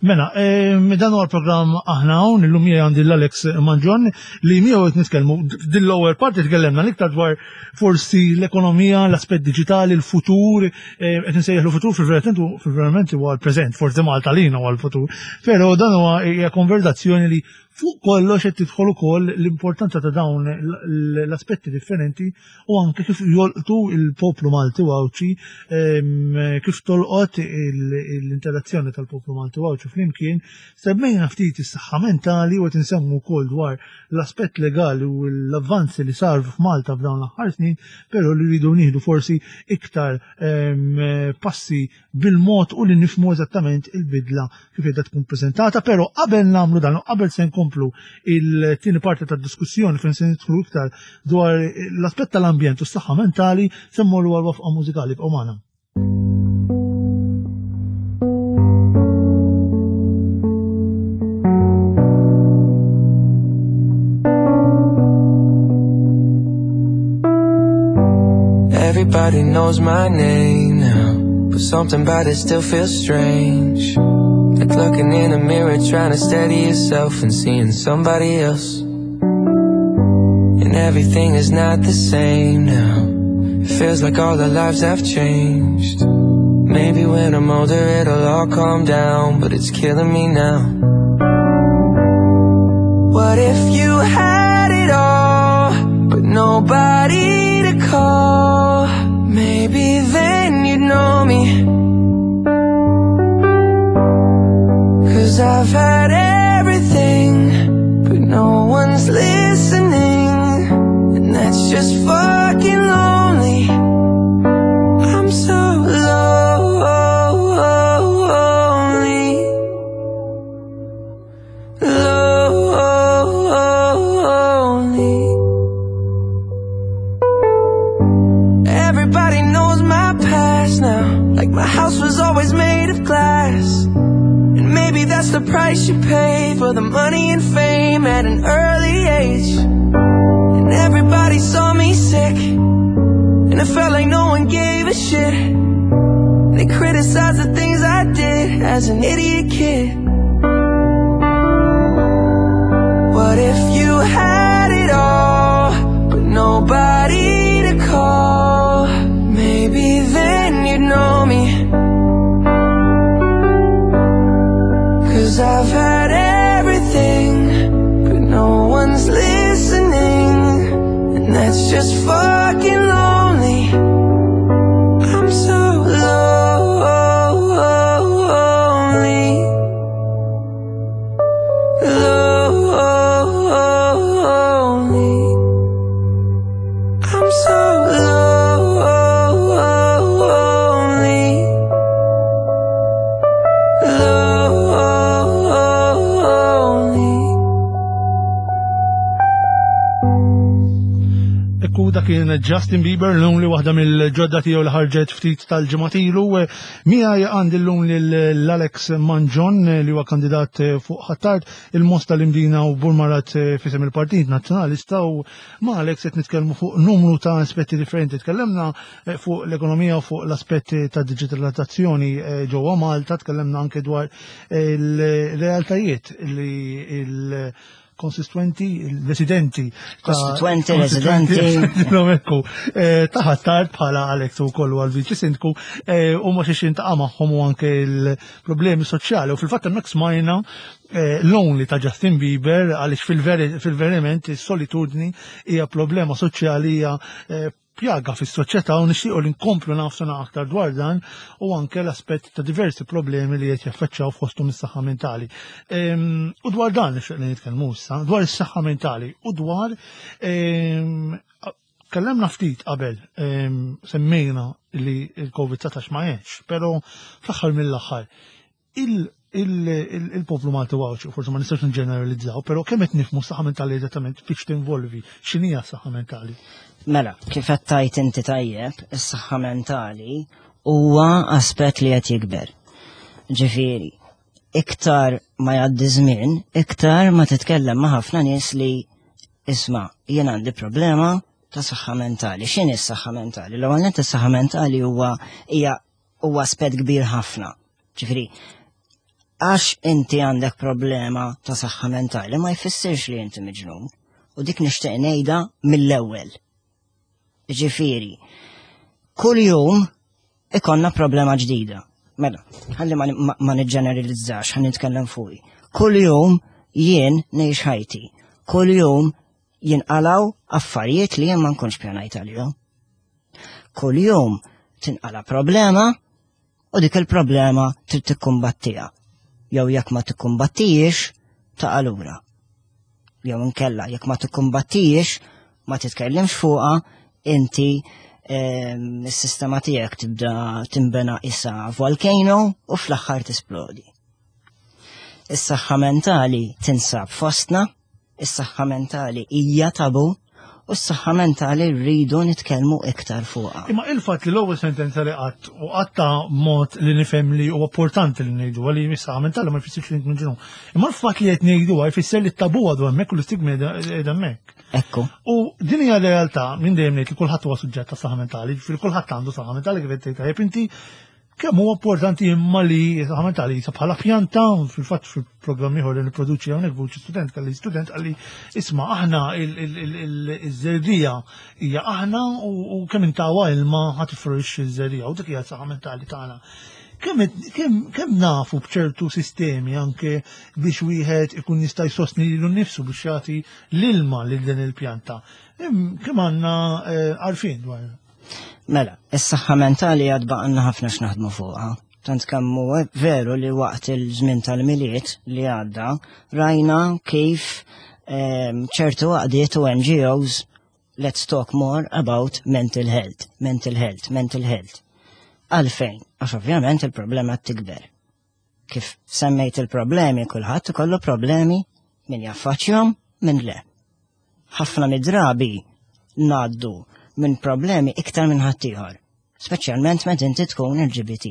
Mela, eh, dan huwa l-programm Aħna Hawn, illum jien għandi l-Alex Mangion li miegħu qed nitkellmu. Din l-ewwel parti tkellemna l-iktar dwar forsi l-ekonomija, l-aspett diġitali, l-futur, eh, qed insejjaħlu futur, fil-verità fil-verament huwa l-preżent, forsi Malta lina huwa l-futur. Però dan huwa hija konverzazzjoni li fuq kollox qed tidħol ukoll l-importanza ta' dawn l-aspetti differenti u anke kif jolqtu il-poplu Malti u Għawdxi, ehm, kif tolqot l-interazzjoni tal-poplu Malti u Għawdxi flimkien. Semmejna ftit is-saħħa mentali u qed insemmu wkoll dwar l-aspett legali u l-avvanzi li saru f'Malta f'dawn l-aħħar snin, però li rridu nieħdu forsi iktar ehm, passi bil-mod u li nifhmu eżattament il-bidla kif qiegħda tkun preżentata, però qabel nagħmlu dan u qabel se nkomplu il-tieni parti tad-diskussjoni fejn se nidħlu iktar dwar l-aspett tal-ambjent u s-saħħa mentali, se mmorru għal waqfa mużikali b'għomana. Everybody knows my name now, but something about it still feels strange. Like looking in a mirror, trying to steady yourself and seeing somebody else. And everything is not the same now. It feels like all our lives have changed. Maybe when I'm older, it'll all calm down, but it's killing me now. What if you had it all, but nobody to call? Maybe then you'd know me. 'Cause I've had everything, but no one's listening. And that's just fucking lonely. I'm so lonely. Lonely. Everybody knows my past now. Like my house was always made of glass. And maybe that's the price you pay for the money and fame at an early age. And everybody saw me sick, and it felt like no one gave a shit. They criticized the things I did as an idiot kid. What if you had it all, but nobody to It's just fucking lonely. I'm so lonely. Lonely. I'm so lonely. Lonely. Ekku dak kien Justin Bieber, Lonely, waħda mill-ġodda tiegħu li ħarġet ftit tal-ġimgħat ilu. Miegħi għandi llum lil Alex Mangion, li huwa kandidat fuq Ħ'Attard, il-Mosta, l-Imdina u Burmarrad f'isem il-Partit Nazzjonalista, u ma' Alex qed nitkellmu fuq numru ta' aspetti differenti. Tkellimna fuq l-ekonomija u fuq l-aspetti ta' digitalizzazzjoni ġewwa Malta, tkellimna anke dwar il-realtajiet li il- konsistwenti, il-residenti. Kostituenti, residenti. Ekku, ta' Ħ'Attard bħala Alex u kollu għal-viċi sindku, u ma xiex jintaqa' magħhom u anke l-problemi soċjali. U fil-fatt hemmhekk smajna Lonely ta' Justin Bieber, għaliex fil-veriment is-solitudni hija problema soċjali, hija pjaga fis-soċjetà, u nixtiequ li nkomplu nafsu aktar dwar dan u anke l-aspett ta' diversi problemi li qed jaffaċċjaw fosthom is-saħħa mentali. U dwar dan nixtieq li nitkellmu issa, dwar is-saħħa mentali u dwar kellemna ftit qabel, semmejna li l-Covid dsatax ma għenx, però fl-aħħar mill-aħħar il-poplu Malti Għawdxi, forsi ma nistax nġeneralizzaw, però kemm qed nifhmu s-saħħa mentali eżattament fiex tinvolvi, x'inhija s-saħħa mentali? Mela, kif qed tajt inti tajjeb, is-saħħa mentali huwa aspett li qed jikber. Ġifieri, iktar ma jgħaddi żmien, iktar ma titkellem ma' ħafna nies li isma' jien għandi problema ta' saħħa mentali. X'inhi s-saħħa mentali? L-ewwel nett is-saħħa mentali huwa hija huwa aspett kbir ħafna. Ġifieri, għax inti għandek problema ta' saħħa mentali ma jfissirx li inti miġnun. U dik nixtieq ngħidha mill-ewwel. Ġifieri, kull jum ikonna problema ġdida. Mela, ħalli ma, ma, ma niġġeneralizzax, ħalli nitkellem fuqi. Kull jum jien ngħix ħajti. Kull jum jinqalaw affarijiet li jien ma nkunx pjanajt għalihom. Kull jum tinqala problema u dik il-problema trid tikkumbattiha. Jew jekk ma tikkumbattijiex, taqa' lura. Jew inkella jekk ma tikkumbattijiex, ma titkellimx fuqha, inti ehm, is-sistema tiegħek tibda timbena isa volcano u fl-aħħar tisplodi. Is-saħħa mentali tinsab fostna, is-saħħa mentali hija tabu, u s-saħħa mentali rridu nitkellmu iktar fuqha. Imma il-fatt li l-ewwel sentenza li qatt u qatta mod li nifhem li huwa importanti li ngħidu li s-saħħa mentali ma jfissirx li miġnun. Imma l-fatt li qed ngħidu jfisser li t-tabu għadu hemmhekk u l-istigma qiegħda hemmhekk. Ekku. U din hija realtà minn dejjem ngħid li kulħadd huwa suġġett ta' saħħa mentali, ġifieri kulħadd għandu saħħa mentali kif qed tgħid tajjeb inti. Kemm huwa importanti imma li saħħa mentali jisa bħala pjanta, fil-fatt fil-programm ieħor li nipproduċi hawnhekk Vuċi Student, kelli student qalli isma' aħna iż-żerriegħa hija aħna u kemm intawa ilma ħa tifrixxi ż-żerriegħa u dik hija saħħa mentali tagħna. Kemm nafu b'ċertu sistemi anke biex wieħed ikun jista' jsostni lilu nnifsu biex jagħti l-ilma lil din il-pjanta. Kemm għandna għarfien dwar? Mela, is-saħħa mentali għad baqgħalna ħafna x'naħdmu fuqha. Tant kemm hu veru li waqt il-żmien tal-Milied li għadda rajna kif, ehm, ċertu għaqdiet u N G Os let's talk more about mental health, mental health, mental health. Għalfejn, għax ovvjament il-problema tikber. Kif semmejt il-problemi, kulħadd ikollu problemi min jaffaċjhom, min le. Ħafna mid-drabi ngħaddu minn problemi iktar minn ħaddieħor, speċjalment meta inti tkun L G B T.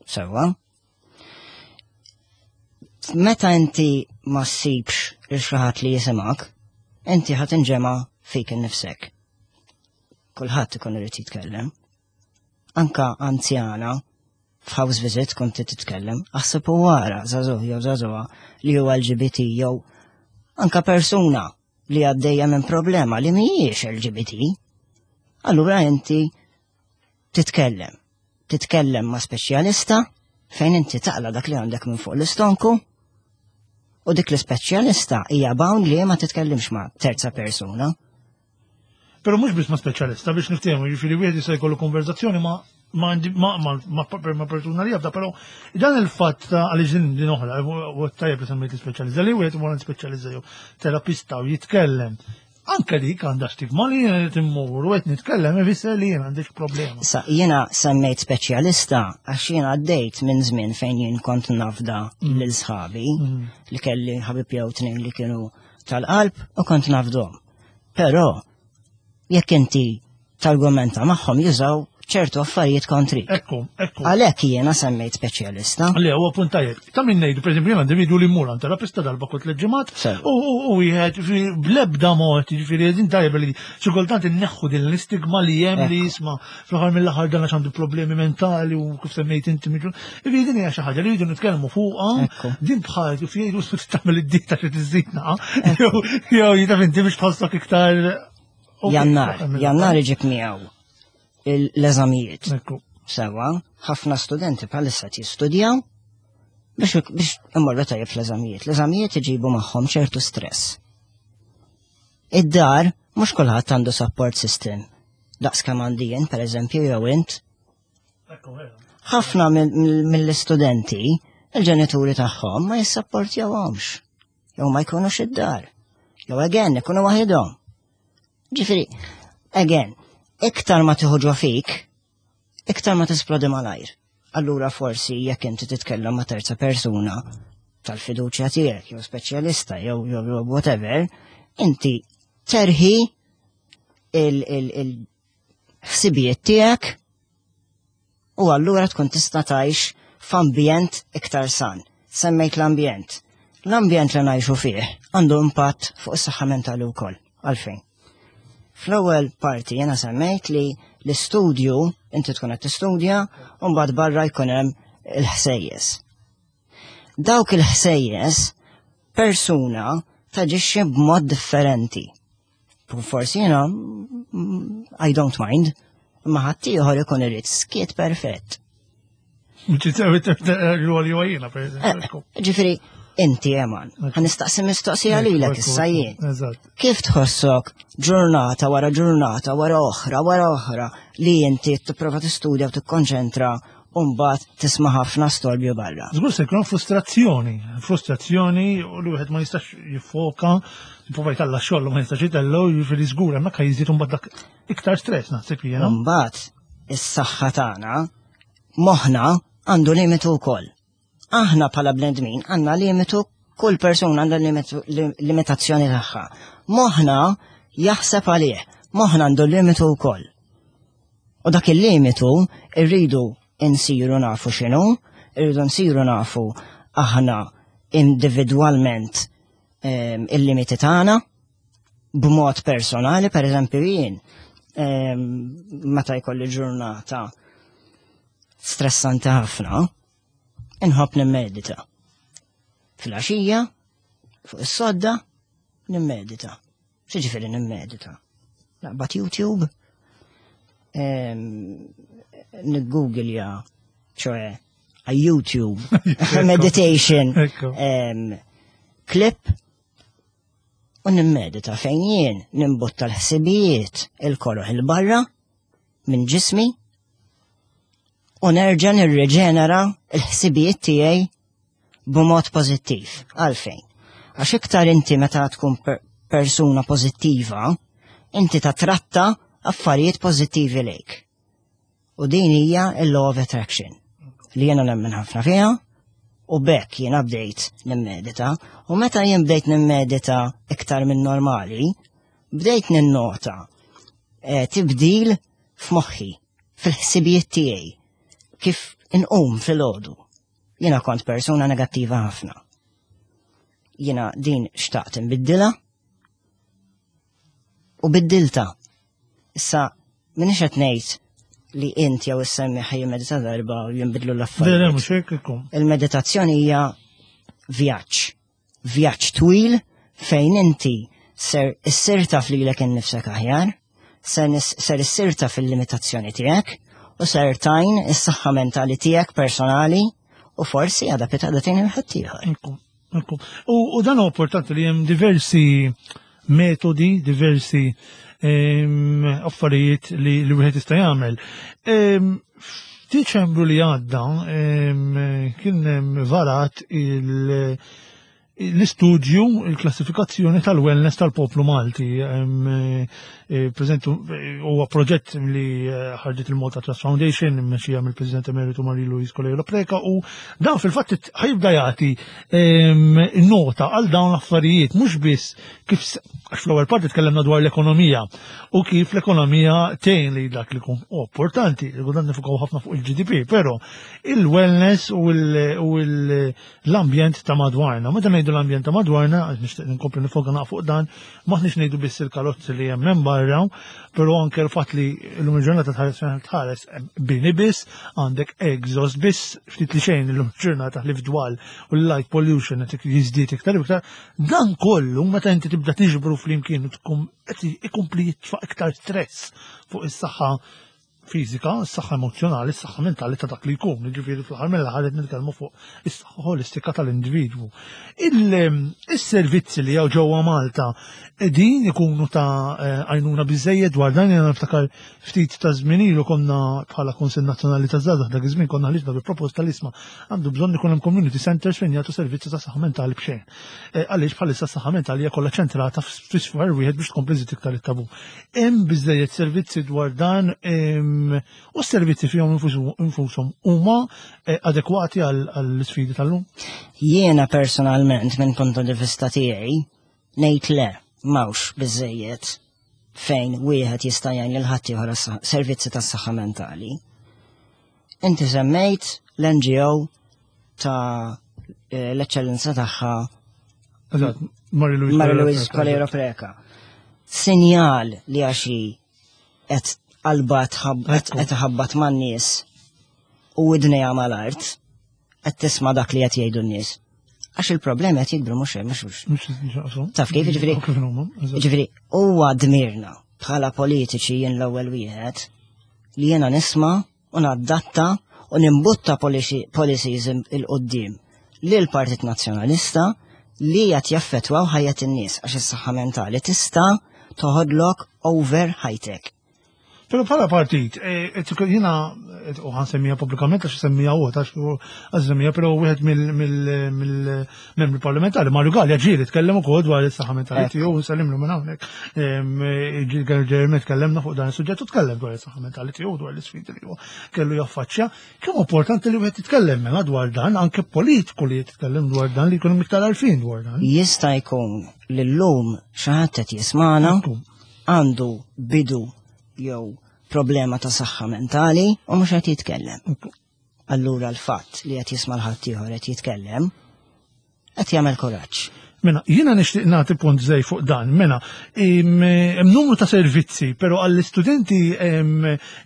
Sewwa? Meta inti ma ssibx lil xi ħadd li jisimak, inti ħa tinġema' fik innifsek. Kulħadd ikun irid jitkellem. Anka anzjana f'house visit kont titkellem, aħseb u wara żagħżugħ jew żagħżugħa li huwa L G B T jew anka persuna li għaddejja minn problema li mhijiex L G B T. Allura inti titkellem. Titkellem ma' speċjalista fejn inti taqla dak li għandek minn fuq l-istonku u dik l-ispeċjalista hija bound li ma titkellimx ma' terza persuna. Però mhux biss ma' speċjalista biex niftehmu, jiġifieri wieħed jista' jkollu konverzazzjoni ma' ma' ma' ma' ma' ma' persuna li jafda, però dan il-fatt ta' għaliex din din oħra, u tajjeb li semmejt l-ispeċjalizza li wieħed imur speċjalizza jew terapista u jitkellem. Anke dik għandha stigma li jiena qed immur u qed nitkellem ifisser li jien għandek problema. Sa jiena semmejt speċjalista għax jiena għaddejt minn żmien fejn jien kont nafda lil sħabi li kelli ħabib jew tnejn li kienu tal-qalb u kont nafdhom. Però jekk inti targumenta magħhom jużaw ċertu affarijiet kontrik. Ekku, ekku. Għalhekk jiena semmejt speċjalista. Le, huwa punt tajjeb. Ta' min ngħidu, pereżempju, jien individu li mmur għand terapista darba kull tliet ġimgħat Sew. u u- u wieħed fi- bl-ebda mod, jiġifieri din tajjeb li xi kultant inneħħu din l-istigma li hemm li jisma' fl-aħħar mill-aħħar dan għax għandu problemi mentali u kif semmejt inti miġu. Jiġifieri din hija xi ħaġa li jridu nitkellmu fuqha, Ekku. din bħal kif jgħidu tagħmel id-dieta xi tiżidna. Jew jew jitaf inti biex tħossok iktar. Jannar, jannar iġib miegħu il- l-eżamijiet. Ekku. Sewa, ħafna studenti bħalissa jistudjaw biex biex imorru tajjeb fl-eżamijiet. L-eżamijiet iġibu magħhom ċertu stress. Id-dar mhux kulħadd għandu support system. Daqs kemm għandi jien, pereżempju, jew int. Ekku, vera. Ħafna mill- mill- mill-istudenti, il-ġenituri tagħhom ma jissapportjawhomx. Jew ma jkunux id-dar. Jew again, ikunu waħidhom. Ġifieri, again, iktar ma tieħu ġo fik, iktar ma tisplodi malajr. Allura forsi jekk inti titkellem ma' terza persuna tal-fiduċja tiegħek jew speċjalista jew jew jew whatever, inti terħi il-ħsibijiet tiegħek u allura tkun tista' tgħix f'ambjent iktar san. Semmejt l-ambjent. L-ambjent li ngħixu fih għandu impatt fuq is-saħħa mentali wkoll. Għalfejn? Fl-ewwel parti jiena semmejt li l-istudju inti tkun qed tistudja u mbagħad barra jkun hemm il-ħsejjes. Dawk il-ħsejjes persuna taġixxi b'mod differenti. Forsi jiena mm, I don't mind, imma ħaddieħor ikun irid skiet perfett. Għal per eżempju. Ġifieri, inti Eman, ħa nistaqsi mistoqsija lilek issa jien. Eżatt. Kif tħossok ġurnata wara ġurnata wara oħra wara oħra li inti tipprova tistudja u tikkonċentra u mbagħad tisma' ħafna storbju barra? Żgur se jkun frustrazzjoni, frustrazzjoni u li wieħed ma jistax jiffoka, jipprova jtella' xogħol u ma jistax jitellu, jiġifieri żgur hemmhekk jiżdied imbagħad dak iktar stress naħseb jiena. Mbagħad is-saħħa tagħna moħħna għandu limitu wkoll. Aħna bħala bnedmin għandna limitu, kull persuna għandha limitu, lim- limitazzjoni tagħha. Moħħna jaħseb għalih, moħħna għandu limitu wkoll. U dak il-limitu irridu nsiru nafu x'inhu, irridu nsiru nafu aħna individwalment em, il-limiti tagħna b'mod personali, per eżempju jien, em, meta jkolli ġurnata stressanti ħafna, inħobb nimmedita. Filgħaxija, fuq is-sodda, nimmedita. X'jiġifieri nimmedita? Naqbad YouTube, em, niggooglja, ċoè, a YouTube, meditation, Ekku. em, clip, u nimmedita fejn jien nimbutta l-ħsibijiet il-koroh 'il barra minn ġismi u nerġa' nirreġenera l-ħsibijiet tiegħi b'mod pożittiv. Għalfejn? Għax iktar inti meta tkun per persuna pożittiva, inti tatratta affarijiet pożittivi lejk. U din hija il-law of attraction li jiena nemmen ħafna fiha u b'hekk jiena bdejt nimmedita u meta jien bdejt nimmedita iktar minn normali, bdejt ninnota eh, tibdil f'moħħi, fil-ħsibijiet tiegħi, kif inqum filgħodu. Jiena kont persuna negattiva ħafna. Jiena din xtaqt nbiddilha u biddilta. Issa, minix qed ngħid li int jew is-semmiegħ jimmedita darba u jinbidlu Le, le, l-affarijiet. mhux hekk ikun. Il-meditazzjoni hija vjaġġ. Vjaġġ twil fejn inti ser issir taf lilek innifsek aħjar, ser nis- ser issir taf il-limitazzjoni tiegħek u ser tgħin is-saħħa mentali tiegħek personali u forsi għada pitgħada tgħin lil ħaddieħor. Ekku, ekku. U, u dan huwa importanti li hemm diversi metodi, diversi affarijiet li wieħed jista' jagħmel. F'Diċembru li għadda kien varat il- l-istudju, il-klassifikazzjoni tal-wellness tal-poplu Malti. Eh, preżentu huwa proġett li eh, ħarġet il-Malta Trust Foundation mmexxija mill-President Emeritu Marie Louise Coleiro Preca, u dan fil-fatt ħa jibda jagħti nota għal dawn l-affarijiet, mhux biss kif, għax fl-ewwel parti tkellemna dwar l-ekonomija u kif l-ekonomija tgħin li dak li jkun importanti, li dan nifukaw ħafna fuq il-G D P, però il-wellness u l-ambjent ta' madwarna. Meta ngħidu l-ambjent ta' madwarna, għax nixtieq nkompli nifoka fuq dan, m'aħniex ngħidu biss il-karozzi li hemm hemm barra, però anke l-fatt li l-lum il-ġurnata tħares tħares bini biss, għandek exhaust biss, ftit li xejn l-lum il-ġurnata li fdwal u l-light pollution qed jiżdied iktar iktar. Dan kollu meta inti tibda tiġbru flimkien u tkun qed ikompli jitfa' iktar stress fuq is-saħħa fizika, s-saħħa emozjonali, s-saħħa mentali ta' dak li jkun. Ġifieri fl-aħħar mill-aħħar qed nitkellmu fuq is-saħħa ħolistika tal-individwu. Il-servizzi li hawn ġewwa Malta din ikunu ta' eh, għajnuna biżejjed dwar dan? Jiena niftakar ftit ta' żmien ilu konna bħala Kunsill Nazzjonali ta' Żgħażagħ, dak iż-żmien konna ħriġna bi proposta li isma' għandu bżonn ikun hemm community centers fejn jagħtu servizzi ta' saħħa mentali b'xejn. Eh, għaliex bħalissa s-saħħa mentali hija kollha ċentrata f'isfar wieħed biex tkompli żid iktar it-tabu. Hemm biżejjed servizzi dwar dan u s-servizzi fihom infushom huma eh, adekwati għall-isfidi tal-lum? Jiena personalment, minn punto di vista tiegħi, ngħid le, m'hawnx biżejjed fejn wieħed jista' jgħin lil ħaddieħor servizzi tas-saħħa mentali. Inti semmejt l-N G O ta' eh, l-eċċellenza tagħha Marie Louise Coleiro Preca. Sinjal li għaxi qed qalba qed ħabbat man-nies u widnejha mal-art qed tisma' dak li qed jgħidu n-nies. Għax il-problemi qed jikbru, mhux mhux. Taf kif, ġifieri ġifieri huwa dmirna bħala politiċi, jien l-ewwel wieħed, li jiena nisma' u nadatta u nimbutta policies 'il quddiem lil Partit Nazzjonalista li qed jaffettwaw ħajjet in-nies, għax is-saħħa mentali tista' toħodlok over ħajtek. Pero bħala partit, eh, jiena u ħa nsemmija pubblikament għax semmija u għax semmija, pero wieħed mill-membri parlamentari, Mario Galea, ġieli tkellem ukoll dwar is-saħħa mentali tiegħu, nsellimlu minn hawnhekk. Ġieli tkellemna fuq dan is-suġġett u tkellem dwar is-saħħa mentali tiegħu, dwar l-isfidi li huwa kellu jaffaċċja. Kemm importanti li wieħed jitkellem mela dwar dan, anke politiku li jitkellem dwar dan, li jkunu iktar għarfin dwar dan. Jista' jkun li llum xi ħadd qed jismana għandu bidu jew problema ta' saħħa mentali u mhux qed jitkellem. Allura l-fatt li qed jisma' l-ħaddieħor qed jitkellem qed jagħmel kuraġġ. Mela, jiena nixtieq nagħti punt żej fuq dan. Mela, hemm numru ta' servizzi, però għall-istudenti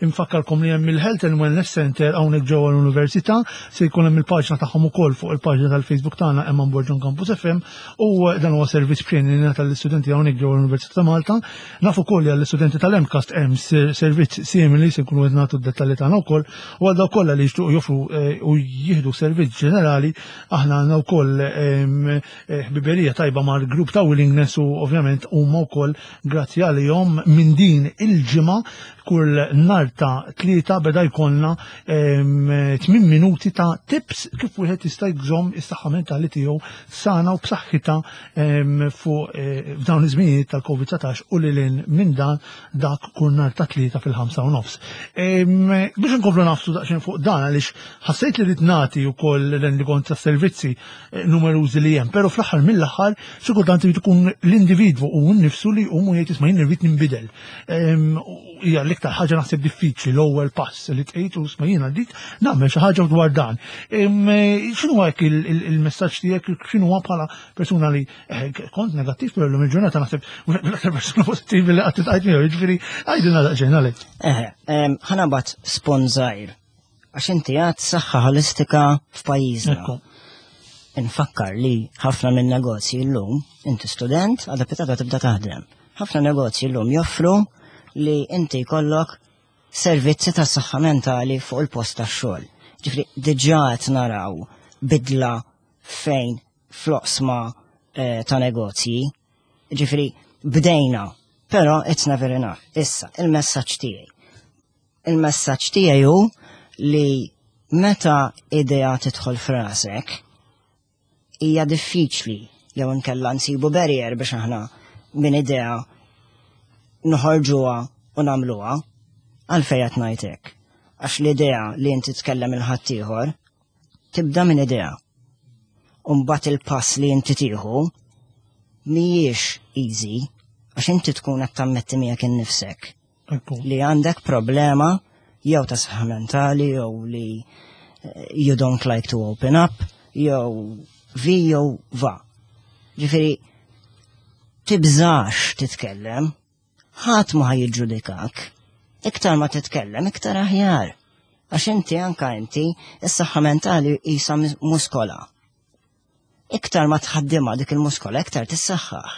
infakkarkom li hemm il-Health and Wellness Center hawnhekk ġewwa l-Università, se jkun hemm il-paġna tagħhom ukoll fuq il-paġna tal-Facebook tagħna Eman Borg on Campus F M, u dan huwa servizz b'xejn li ngħata lill-istudenti hawnhekk ġewwa l-Università ta' Malta. Nafu ukoll li għall-istudenti tal-MCAST hemm servizz simili, se nkunu qed nagħtu d-dettalji tagħna wkoll, u għal dawk kollha li jixtiequ joffru eh, u jieħdu servizz ġenerali, aħna għandna wkoll eh, ħbiberija tajba mal-grupp ta' Willingness u ovvjament huma wkoll, grazzi għalihom, minn din il-ġimgħa kull nhar ta' Tlieta beda jkollna tmien minuti ta' tips kif wieħed jista' jżomm is-saħħa mentali tiegħu sana u b'saħħitha fuq eh, f'dawn iż-żminijiet tal-Covid dsatax u lil minn dan, dak kull nhar ta' Tlieta fil-ħamsa u nofs. Biex nkomplu nafsu daqsxejn fuq dan, għaliex ħassejt li rrid nagħti wkoll l-rendikont ta' servizzi eh, numerużi li hemm, però fl-aħħar mill-aħħar xi kultant irid ikun l-individwu u nnifsu li jqum u jgħid, "Isma', jien irrid ninbidel." Hija l-iktar ħaġa naħseb diffiċli, l-ewwel pass li tgħid u isma', jiena rrid nagħmel xi ħaġa dwar dan. X'inhu hekk il-messaġġ tiegħek, x'inhu bħala persuna li eh, kont negattiv, però llum il-ġurnata naħseb l-aktar persuna pożittivi li qatt tgħid miegħu, jiġifieri għidilna daqsxejn għalek. Eh, ħa nagħti spons żgħir. Għax inti għad saħħa ħolistika f'pajjiżna. Infakkar li ħafna minn negozji llum, inti student, għada pitgħada tibda taħdem. Ħafna negozji llum joffru li inti jkollok servizzi ta' saħħa mentali fuq il-post tax-xogħol. Ġifieri diġà qed naraw bidla fejn fl-oqsma eh, ta' negozji. Ġifieri bdejna, Però it's never enough. Issa, il-messaġġ tiegħi. Il-messaġġ tiegħi hu li meta idea tidħol f'rasek, hija diffiċli jew inkella nsibu barrier biex aħna minn idea noħorġuha u nagħmluha. Għalfejn qed ngħid hekk? Għax l-idea li inti tkellem lil ħaddieħor tibda minn idea. U mbagħad il-pass li inti tieħu mhijiex easy, għax inti tkun qed tammetti miegħek innifsek Ekku. li għandek problema jew ta' saħħa mentali jew li eh, you don't like to open up jew vi jew va. Ġifieri tibżax titkellem, ħadd ma ħa jiġġudikak. Iktar ma titkellem, iktar aħjar. Għax inti, anka inti, is-saħħa mentali qisha muskola. Iktar ma tħaddimha dik il-muskola, iktar tissaħħaħ.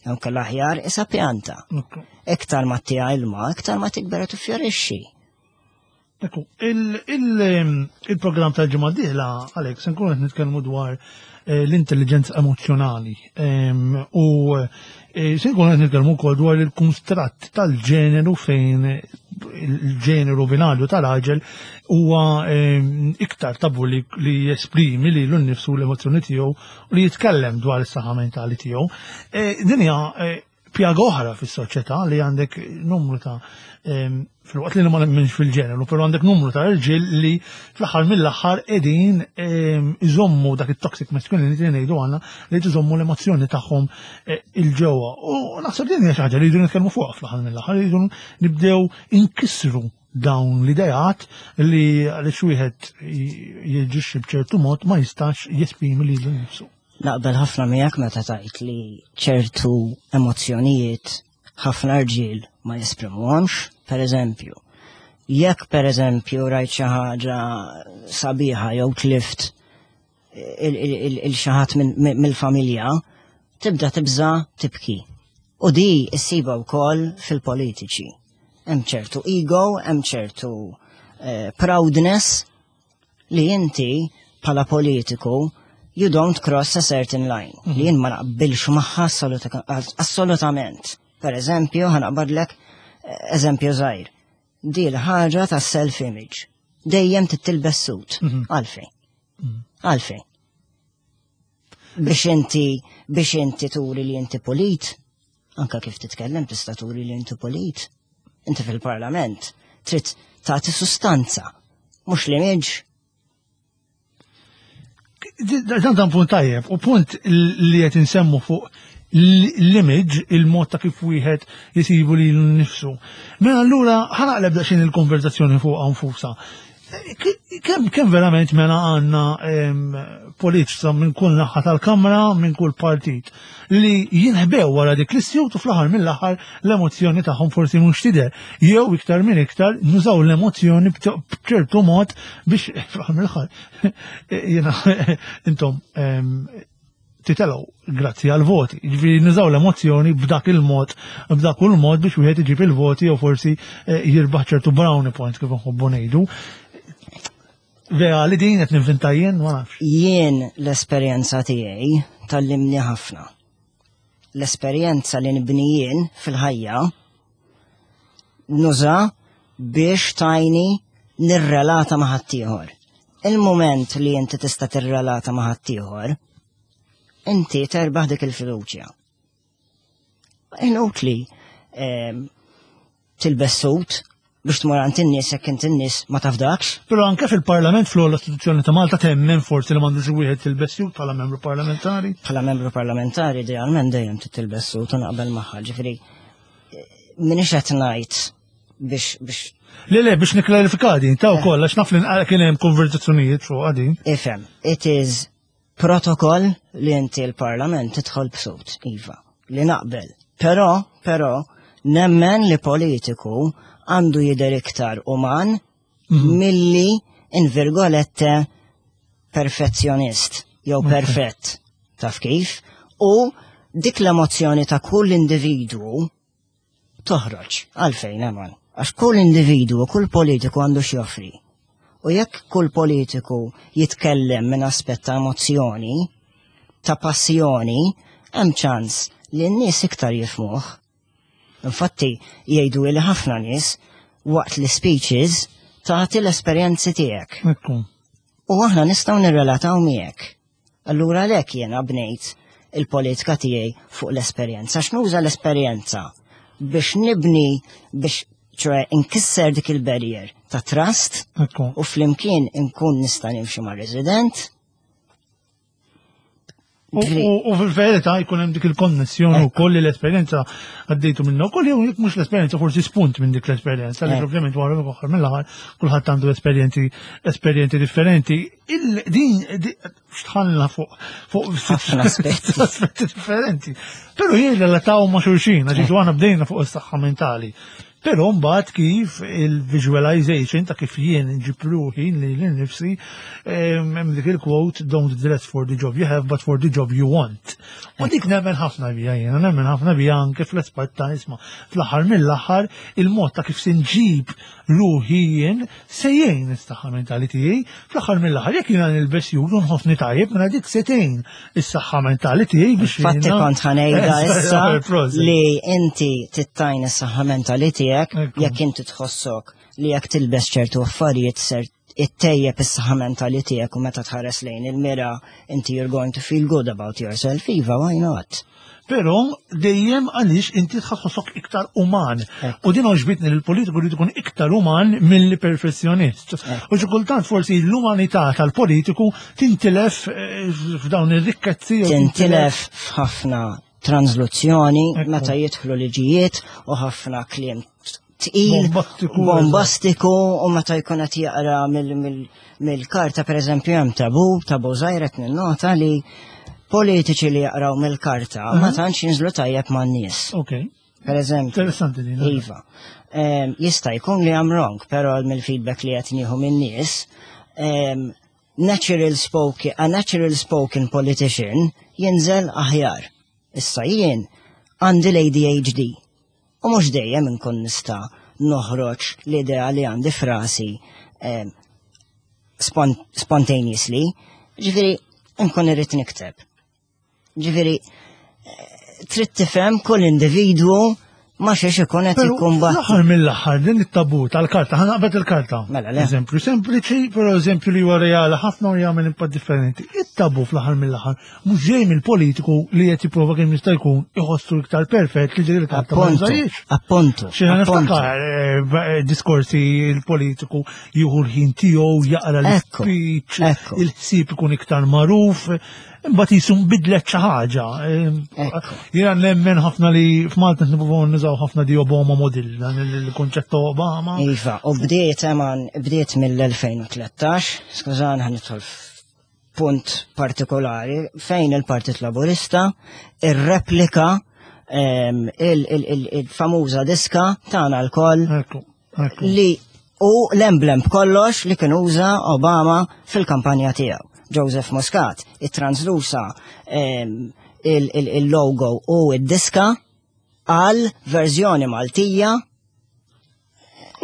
Jew kellha aħjar qisha pjanta. Ekku. Iktar ma ttiha ilma, iktar ma tikber u tifjorixxi. Ekku, il- il- il-programm tal-ġimgħa d-dieħla, Alex, nkunu qed nitkellmu dwar eh, l-intelligenza emozjonali. Em, U eh, se nkunu qed nitkellmu wkoll dwar il-kunstratt tal-ġeneru, fejn il-ġeneru binarju tal-raġel huwa em, iktar tabu li, li jesprimi lilu nnifsu, l-emozzjoni tiegħu, u li jitkellem dwar is-saħħa mentali tiegħu. Eh, Din hija eh, pjaga oħra fis-soċjetà li għandek numru ta' em, fil-waqt li ma nemminx fil-ġeneru, però għandek numru ta' irġiel li fl-aħħar mill-aħħar qegħdin em, iżommu dak it-toxic masculinity li ngħidu għandna, li iżommu l-emozzjoni tagħhom eh, 'il ġewwa. U naħseb din hija xi ħaġa li jridu nitkellmu fuqha fl-aħħar mill-aħħar, jridu nibdew inkissru dawn l-idejat li għaliex wieħed jiġixxi b'ċertu mod ma jistax jesprimi lilu nnifsu. Naqbel ħafna miegħek meta tgħid li ċertu emozzjonijiet ħafna rġiel ma jesprimuhomx. Per eżempju, jekk per eżempju rajt xi ħaġa sabiħa jew tlift lil xi ħadd mill-familja, tibda tibża tibki. U di issiba wkoll fil-politiċi. Hemm ċertu ego, hemm ċertu eh, proudness li inti bħala politiku you don't cross a certain line. Li jien ma naqbilx magħha assolutament. Per eżempju, ħa naqbadlek eh, eżempju żgħir. Di l-ħaġa ta' self-image. Dejjem tilbes suit. Għalfejn? Għalfejn? Biex inti biex inti turi li inti polit, anka kif titkellem tista' turi li inti polit. Inti fil-parlament trid tagħti sustanza, mhux l-image. Dan dan punt tajjeb, u punt li qed insemmu fuq l-image, il-mod ta' kif wieħed jisibu lilu nnifsu. Mela allura ħa naqleb daqsxejn il-konverzazzjoni fuq nfusha. Kemm kemm verament mela għandna politiċi minn kull naħa tal-kamra, minn kull partit, li jinħbew wara dik l-istjut u fl-aħħar mill-aħħar l-emozzjoni tagħhom forsi mhux tidher. Jew iktar minn iktar nużaw l-emozzjoni b'ċertu mod biex fl-aħħar mill-aħħar jiena intom titelgħu grazzi għal voti. Ġifieri nużaw l-emozzjoni b'dak il-mod, b'dak kull mod biex wieħed iġib il-voti jew forsi eh, jirbaħ ċertu brownie points, kif nħobbu ngħidu. Vera li din qed ninvinta jien, ma nafx. Jien l-esperjenza tiegħi tgħallimni ħafna. L-esperjenza li nibni jien fil-ħajja nuża biex tgħinni nirrelata ma' ħaddieħor. Il-moment li inti tista' tirrelata ma' ħaddieħor, inti terbaħ dik il-fiduċja. Inutli ehm, tilbes suit biex tmur għand in-nies jekk inti n-nies ma tafdakx. Però anke fil-Parlament, fl istituzzjoni ta' Malta, temmen forsi li m'għandux wieħed tilbes suit bħala membru parlamentari? Bħala membru parlamentari idealment dejjem tilbes suit u naqbel magħha, ġifieri minix qed ngħid biex biex Le le, biex niklarifika din, ta' wkoll, għax naf li kien hemm konverzazzjonijiet fuq din. Ifhem, it is protocol li inti l-parlament tidħol b'suit, iva, li naqbel. Però, però, nemmen li politiku għandu jidher iktar uman milli in virgolette perfezzjonist jew perfett, taf kif, u dik l-emozzjoni ta' kull individwu toħroġ. Għalfejn, eman? Għax kull individwu, kull politiku għandu x'joffri. U jekk kull politiku jitkellem minn aspett ta' emozzjoni, ta' passjoni, hemm ċans li n-nies iktar jifhmuh. Infatti, jgħidu li ħafna nies waqt li speeches tagħti l-esperjenzi tiegħek. Ekku. U aħna nistgħu nirrelataw miegħek. Allura għalhekk jiena bnejt il-politika tiegħi fuq l-esperjenza. X'nuża l-esperjenza biex nibni, biex ċoè inkisser dik il-barrier ta' trust Ekku. u flimkien inkun nista' nimxi ma' resident. U u- u fil-verità jkun hemm dik il-konnessjoni wkoll li l-esperjenza għaddejtu minnu wkoll, jew jekk mhux l-esperjenza, forsi spunt minn dik l-esperjenza li Ekku. ovvjament wara oħra mill-aħħar kulħadd għandu esperjenzi esperjenzi differenti. Il din di- xtħallna fuq fuq Ħafna aspetti. Aspetti differenti. Però jirrelataw ma' xulxin, għax aħna bdejna fuq is-saħħa mentali. Però mbagħad kif il-visualization ta' kif jien nġib ruħi li lil nifsi, hemm dik il-quote, "Don't dress for the job you have, but for the job you want." U dik nemmen ħafna bija jiena, nemmen ħafna bija anke fl-aspett ta' isma', fl-aħħar mill-aħħar il-mod ta' kif se nġib ruħi jien se jgħin is-saħħa mentali tiegħi. Fl-aħħar mill-aħħar, jekk jiena nilbes juru nħossni tajjeb, mela dik se tgħin is-saħħa mentali tiegħi biex Fatti jiena- kont ħa ngħidha issa Prosit. li inti tittajn is-saħħa mentali tiegħek Ekku. jekk inti tħossok li jekk tilbes ċertu affarijiet ser ittejjeb is-saħħa mentali tiegħek u meta tħares lejn il-mira inti you're going to feel good about yourself, iva, why not? Però dejjem għaliex inti tħossok iktar uman. Ekku. U din għoġbitni, li l-politiku li tkun iktar uman mill perfezzjonist. U xi kultant forsi l-umanità tal-politiku tintilef eh, f'dawn ir-rikkezzi jew Tintilef f'ħafna transluzzjoni Ekku. meta jidħlu liġijiet u ħafna kliem tqil, Bombastiku, bombastiku, u meta jkun qed jaqra mill- mill- mill-karta, pereżempju, hemm tabu, tabu żgħir qed ninnota li politiċi li jaqraw mill-karta ma tantx jinżlu tajjeb man-nies. Ok, Per eżempju. Interessanti din. Iva. Em, Jista' jkun li I'm wrong, però mill-feedback li qed nieħu min-nies, em, natural spoken, a natural spoken politician jinżel aħjar. Issa jien għandi l-A D H D. U mhux dejjem inkun nista' noħroġ l-idea li għandi f'rasi em, spon- spontaneously, ġifieri nkun irrid nikteb. Ġifieri eh, trid tifhem kull individwu ma xiex ikun qed Pero jikkumbatti. fl-aħħar mill-aħħar din it-tabu tal-karta, ħa naqbad il-karta. Mela, le. Eżempju sempliċi, però eżempju li huwa reali ħafna u jagħmel impatt differenti. It-tabu fl-aħħar mill-aħħar mhux ġej mill-politiku li qed jipprova kemm jista' jkun iħossu iktar perfett li dik il-karta ma Appuntu, jużahiex. appuntu, Xina appuntu. niftakar eh, diskorsi, il-politiku jieħu l-ħin tiegħu jaqra Ekku, l-speech, ekku. il-ħsieb ikun iktar magħruf, imbagħad jisu nbidlet xi ħaġa. Eh, Ekku. Jiena nemmen ħafna li f'Malta nippruvaw nużaw ħafna the Obama model, dan il-kunċett ta' Obama. Iva, u bdiet eman, bdiet mill-elfejn u tlettax, skużani, ħa nidħol punt partikolari, fejn il-Partit Laburista irreplika em, il- il- il- il-famuża diska tagħna lkoll Ekku, ekku. li u l-emblem b'kollox li kien uża Obama fil-kampanja tiegħu. Joseph Muscat it-translusa em, il- il- il-logo u id-diska għal verżjoni Maltija.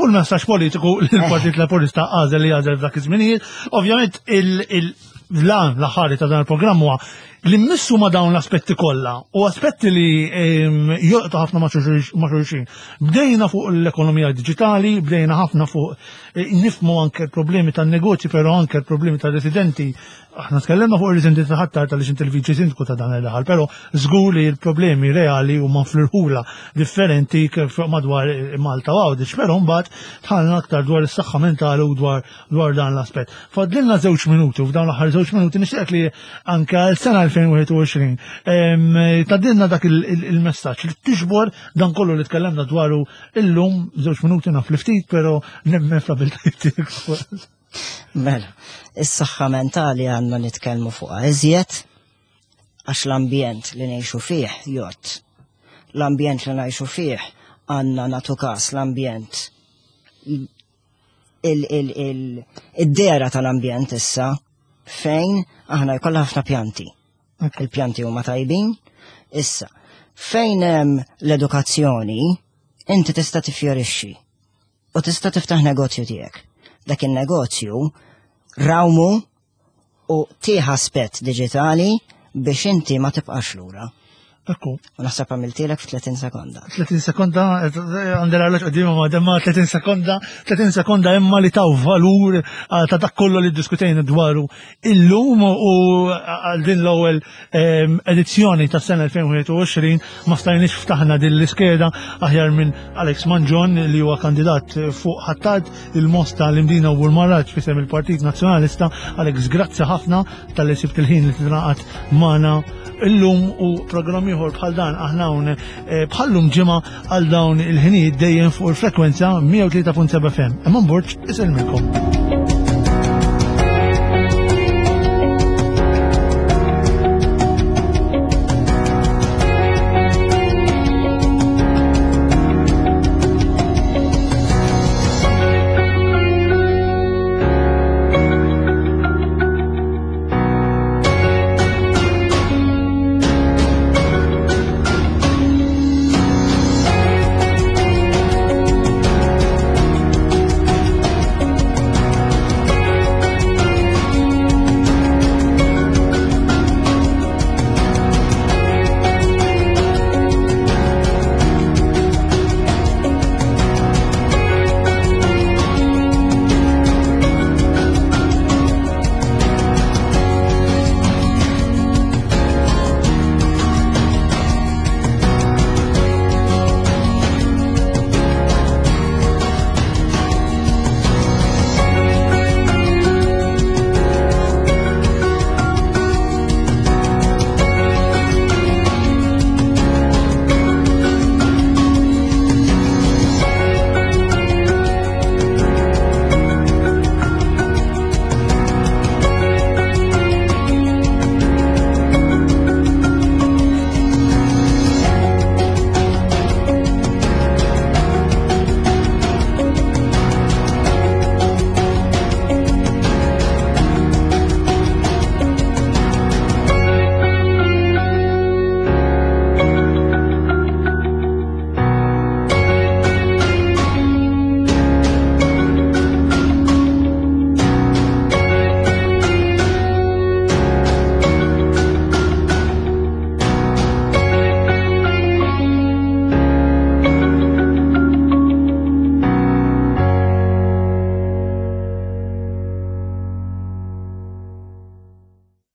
U l-messaġġ politiku li l-Partit Laburista għażel li għażel f'dak iż-żminijiet, ovvjament il-lan l-aħħari ta' dan il-programm huwa li mmissu ma' dawn l-aspetti kollha u aspetti li em, jolqtu ħafna ma' xulxin- ma' xulxin. Bdejna fuq l-ekonomija digitali, bdejna ħafna fuq eh, nifmu anke l-problemi tan-negozji, però anke l-problemi tal-residenti. Aħna tkellimna fuq ir-residenti ta' Ħ'Attard tal inti il-viċi sindku ta' dan il-ħal, però żgur li l-problemi reali huma fl-irħula differenti kif madwar Malta u Għawdex, però mbagħad tħallna aktar dwar is-saħħa mentali u dwar dwar dan l-aspett. Fadlilna żewġ minuti u f'dawn l-aħħar żewġ minuti nixtieq li anke għal sena elfejn u wieħed u għoxrin em, tgħaddilna dak il- il- il-messaġġ li tiġbor dan kollu li tkellimna dwaru illum. Żewġ minuti naf li ftit, però nemmen fl-abiltajiet tiegħek. Mela, is-saħħa mentali għandna nitkellmu fuqha iżjed għax l-ambjent li ngħixu fih jgħodd. L-ambjent li ngħixu fih għandna nagħtu kas l-ambjent, il-dera tal-ambjent issa fejn aħna jkollha ħafna pjanti. Il-pjanti huma tajbin. Issa, fejn hemm l-edukazzjoni, inti tista' tifjorixxi u tista' tiftaħ negozju tiegħek. Dak il-negozju rawmu u tih aspett diġitali biex inti ma tibqax lura. Ekku. U naħseb għamiltilek f'tletin sekonda. tletin sekonda, għandi l-arloġġ qudiem ma demma tletin sekonda, tletin sekonda imma li taw valur ta' dak kollu li ddiskutejna dwaru illum u għal din l-ewwel edizzjoni tas sena elfejn u wieħed u għoxrin ma stajniex ftaħna din l-iskeda aħjar minn Alex Mangion, li huwa kandidat fuq Ħ'Attard, il-Mosta, l-Imdina u l-Marraġ f'isem il-Partit Nazzjonalista. Alex, grazzi ħafna talli sibt il-ħin li titraqat magħna illum u programm ieħor bħal dan aħna hawn eh, bħallum ġimgħa għal dawn il-ħinijiet, dejjem fuq il-frekwenza mija u tlieta punt seba' F M. Eman Borg, isellmilkom.